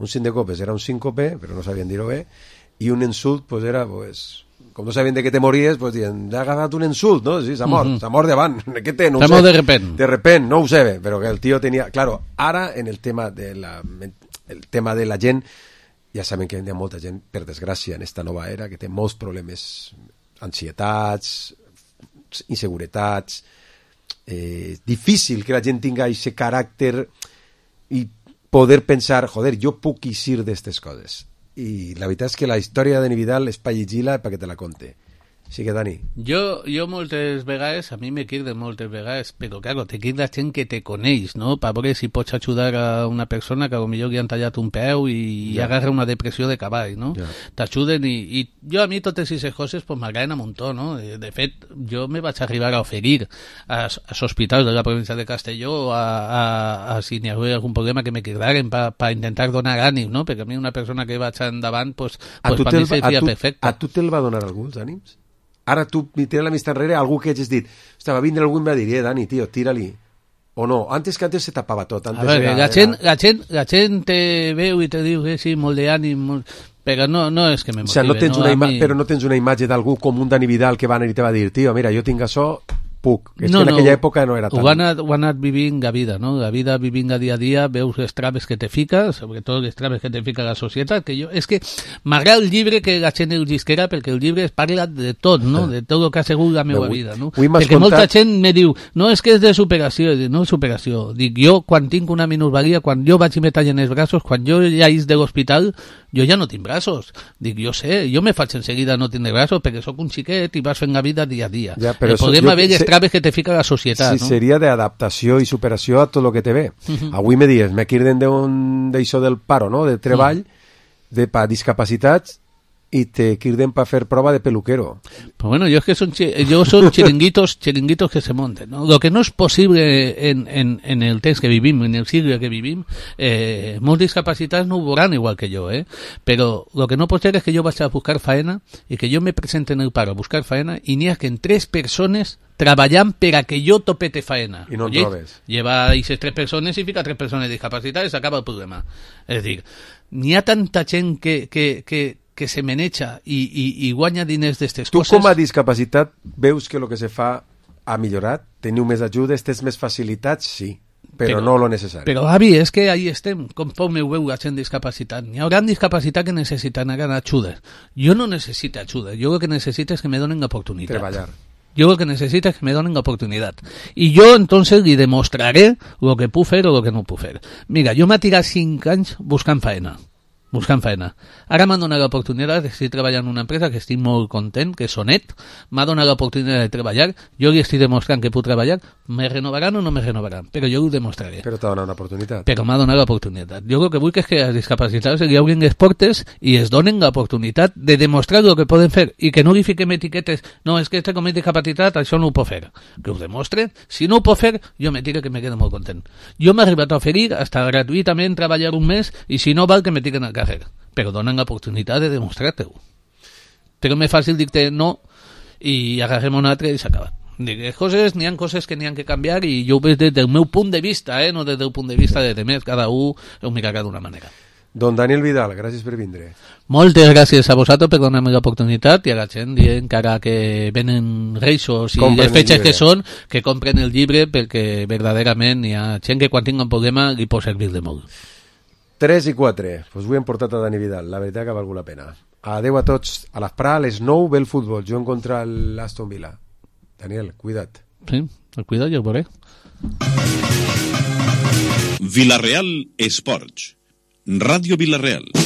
Un cinc de copes era un síncope, però no sabien dir-ho bé, i un insult pues, era, pues, com no sabien de què te mories, pues diuen, ha agafat un insult, no? Sí, s'ha mort, uh -huh. s'ha mort davant. Què té? No s'ha mort de repent. De repent, no ho sé bé, però que el tio tenia... Claro, ara, en el tema de la, el tema de la gent, ja saben que hi ha molta gent, per desgràcia, en esta nova era, que té molts problemes, ansietats, inseguretats, eh, difícil que la gent tinga aquest caràcter i poder pensar, joder, jo puc eixir d'estes coses. I la veritat és que la història de Dani Vidal és per llegir-la perquè te la conte. Així que, Dani. Jo, jo moltes vegades, a mi me quirden moltes vegades, però, claro, te quirda gent que te coneix, no? Per veure si pots ajudar a una persona que potser li han tallat un peu i, ja. i agarra una depressió de cavall, no? Ja. T'ajuden i, i jo a mi totes aquestes coses pues, m'agraden a muntó, no? De fet, jo me vaig arribar a oferir als, als hospitals de la província de Castelló a, a, a si n'hi havia algun problema que me quirdaran per pa intentar donar ànims, no? Perquè a mi una persona que vaig endavant, pues, pues per mi seria perfecte. A tu te'l va donar alguns ànims? Ara tu tires la vista enrere, algú que hagis dit, ostres, va vindre algú i em va dir, eh, Dani, tio, tira-li. O no, antes que antes se tapava tot. Antes a veure, era, la, gent, era... la, gent, la gent te veu i te diu que sí, molt d'ànim, molt... però no, no és que me motive. O sea, no tens no? Una ima- mi... Però no tens una imatge d'algú com un Dani Vidal que va anar i te va dir, tio, mira, jo tinc això... puc. És no, que en no, aquella època no era tant. Ho ha anat, ho ha anat vivint la vida, no? La vida vivint a dia a dia, veus les traves que te fica, sobretot les traves que te fica la societat, que jo, és que m'agrada el llibre que la gent el llisquera, perquè el llibre parla de tot, no? De tot el que ha sigut la meva vida, no? Perquè contat... molta gent me diu, no, és que és de superació, dic, no és superació. Dic, jo, quan tinc una minusvalia, quan jo vaig i me tallen els braços, quan jo ja is de l'hospital, jo ja no tinc braços. Dic, jo sé, jo me faig enseguida no tindre braços, perquè sóc un xiquet i vas fent la vida dia a dia. Ja, però el problema ve les traves que te fica la societat, sí, no? Seria d'adaptació i superació a tot el que te ve. Uh -huh. Avui me dius, me quirden d'això del paro, no? De treball, uh -huh. de pa discapacitats, i te quirden para fer prova de peluquero. Pues bueno, yo es que son, yo son chiringuitos, chiringuitos que se monten, ¿no? Lo que no es posible en, en, en el temps que vivim, en el siglo que vivim, eh, molts discapacitats no ho veuran igual que jo, eh? Però lo que no pot ser és que jo vaig a buscar faena i que jo me presente en el paro a buscar faena i n'hi ha que en tres persones treballant per a que jo topete faena. I no en trobes. Lleva aquestes tres persones i fica tres persones discapacitades i s'acaba el problema. És a dir, n'hi ha tanta gent que, que, que que se maneja i, i, i guanya diners d'estes coses. Tu com a discapacitat veus que el que se fa ha millorat? Teniu més ajudes, tens més facilitats? Sí, però, però no lo necessari. Però, avi, és que ahí estem, conforme ho veu la gent discapacitat. Hi haurà discapacitat que necessiten ajuda. Jo no necessito ajuda, jo el que necessito és que me donen oportunitat. Treballar. Jo el que necessito és que me donen oportunitat. I jo, entonces, li demostraré el que puc fer o el que no puc fer. Mira, jo m'he tirat cinc anys buscant faena. buscant feina. Ara m'han donat l'oportunitat, estic treballant en una empresa que estic molt content, que és Sonet, m'ha donat l'oportunitat de treballar, jo li estic demostrant que puc treballar, me renovaran o no me renovaran, però jo ho demostraré. Però t'ha donat una oportunitat. Però m'ha donat l'oportunitat. Jo el que vull és que els discapacitats li obrin les portes i es donen l'oportunitat de demostrar el que poden fer i que no li fiquem etiquetes, no, és que este com és discapacitat, això no ho pot fer. Que ho demostren. Si no ho pot fer, jo me tiro que me quedo molt content. Jo m'he arribat a oferir hasta gratuïtament treballar un mes i si no val que me tiren al carrer. Però donen l'oportunitat de demostrar-te-ho. Però més fàcil dir-te no i agarrem un altre i s'ha acabat. Les coses, n'hi ha coses que n'hi ha que canviar i jo ho veig des del meu punt de vista, eh? No des del punt de vista de demés, cada un ho mirarà d'una manera. Don Daniel Vidal, gràcies per vindre. Moltes gràcies a vosaltres per donar-me l'oportunitat i a la gent dient que ara que venen reixos i compren les fetges que són, que compren el llibre perquè verdaderament hi ha gent que quan tinga un problema li pot servir de molt. tres i quatre, pues avui hem portat a Dani Vidal, la veritat que ha valgut la pena. Adeu a tots, a l'esprà, a les nou ve el futbol, jo contra l'Aston Villa. Daniel, cuida't. Sí, el cuida't i el veuré. Vila Real Esports. Ràdio Vila Real.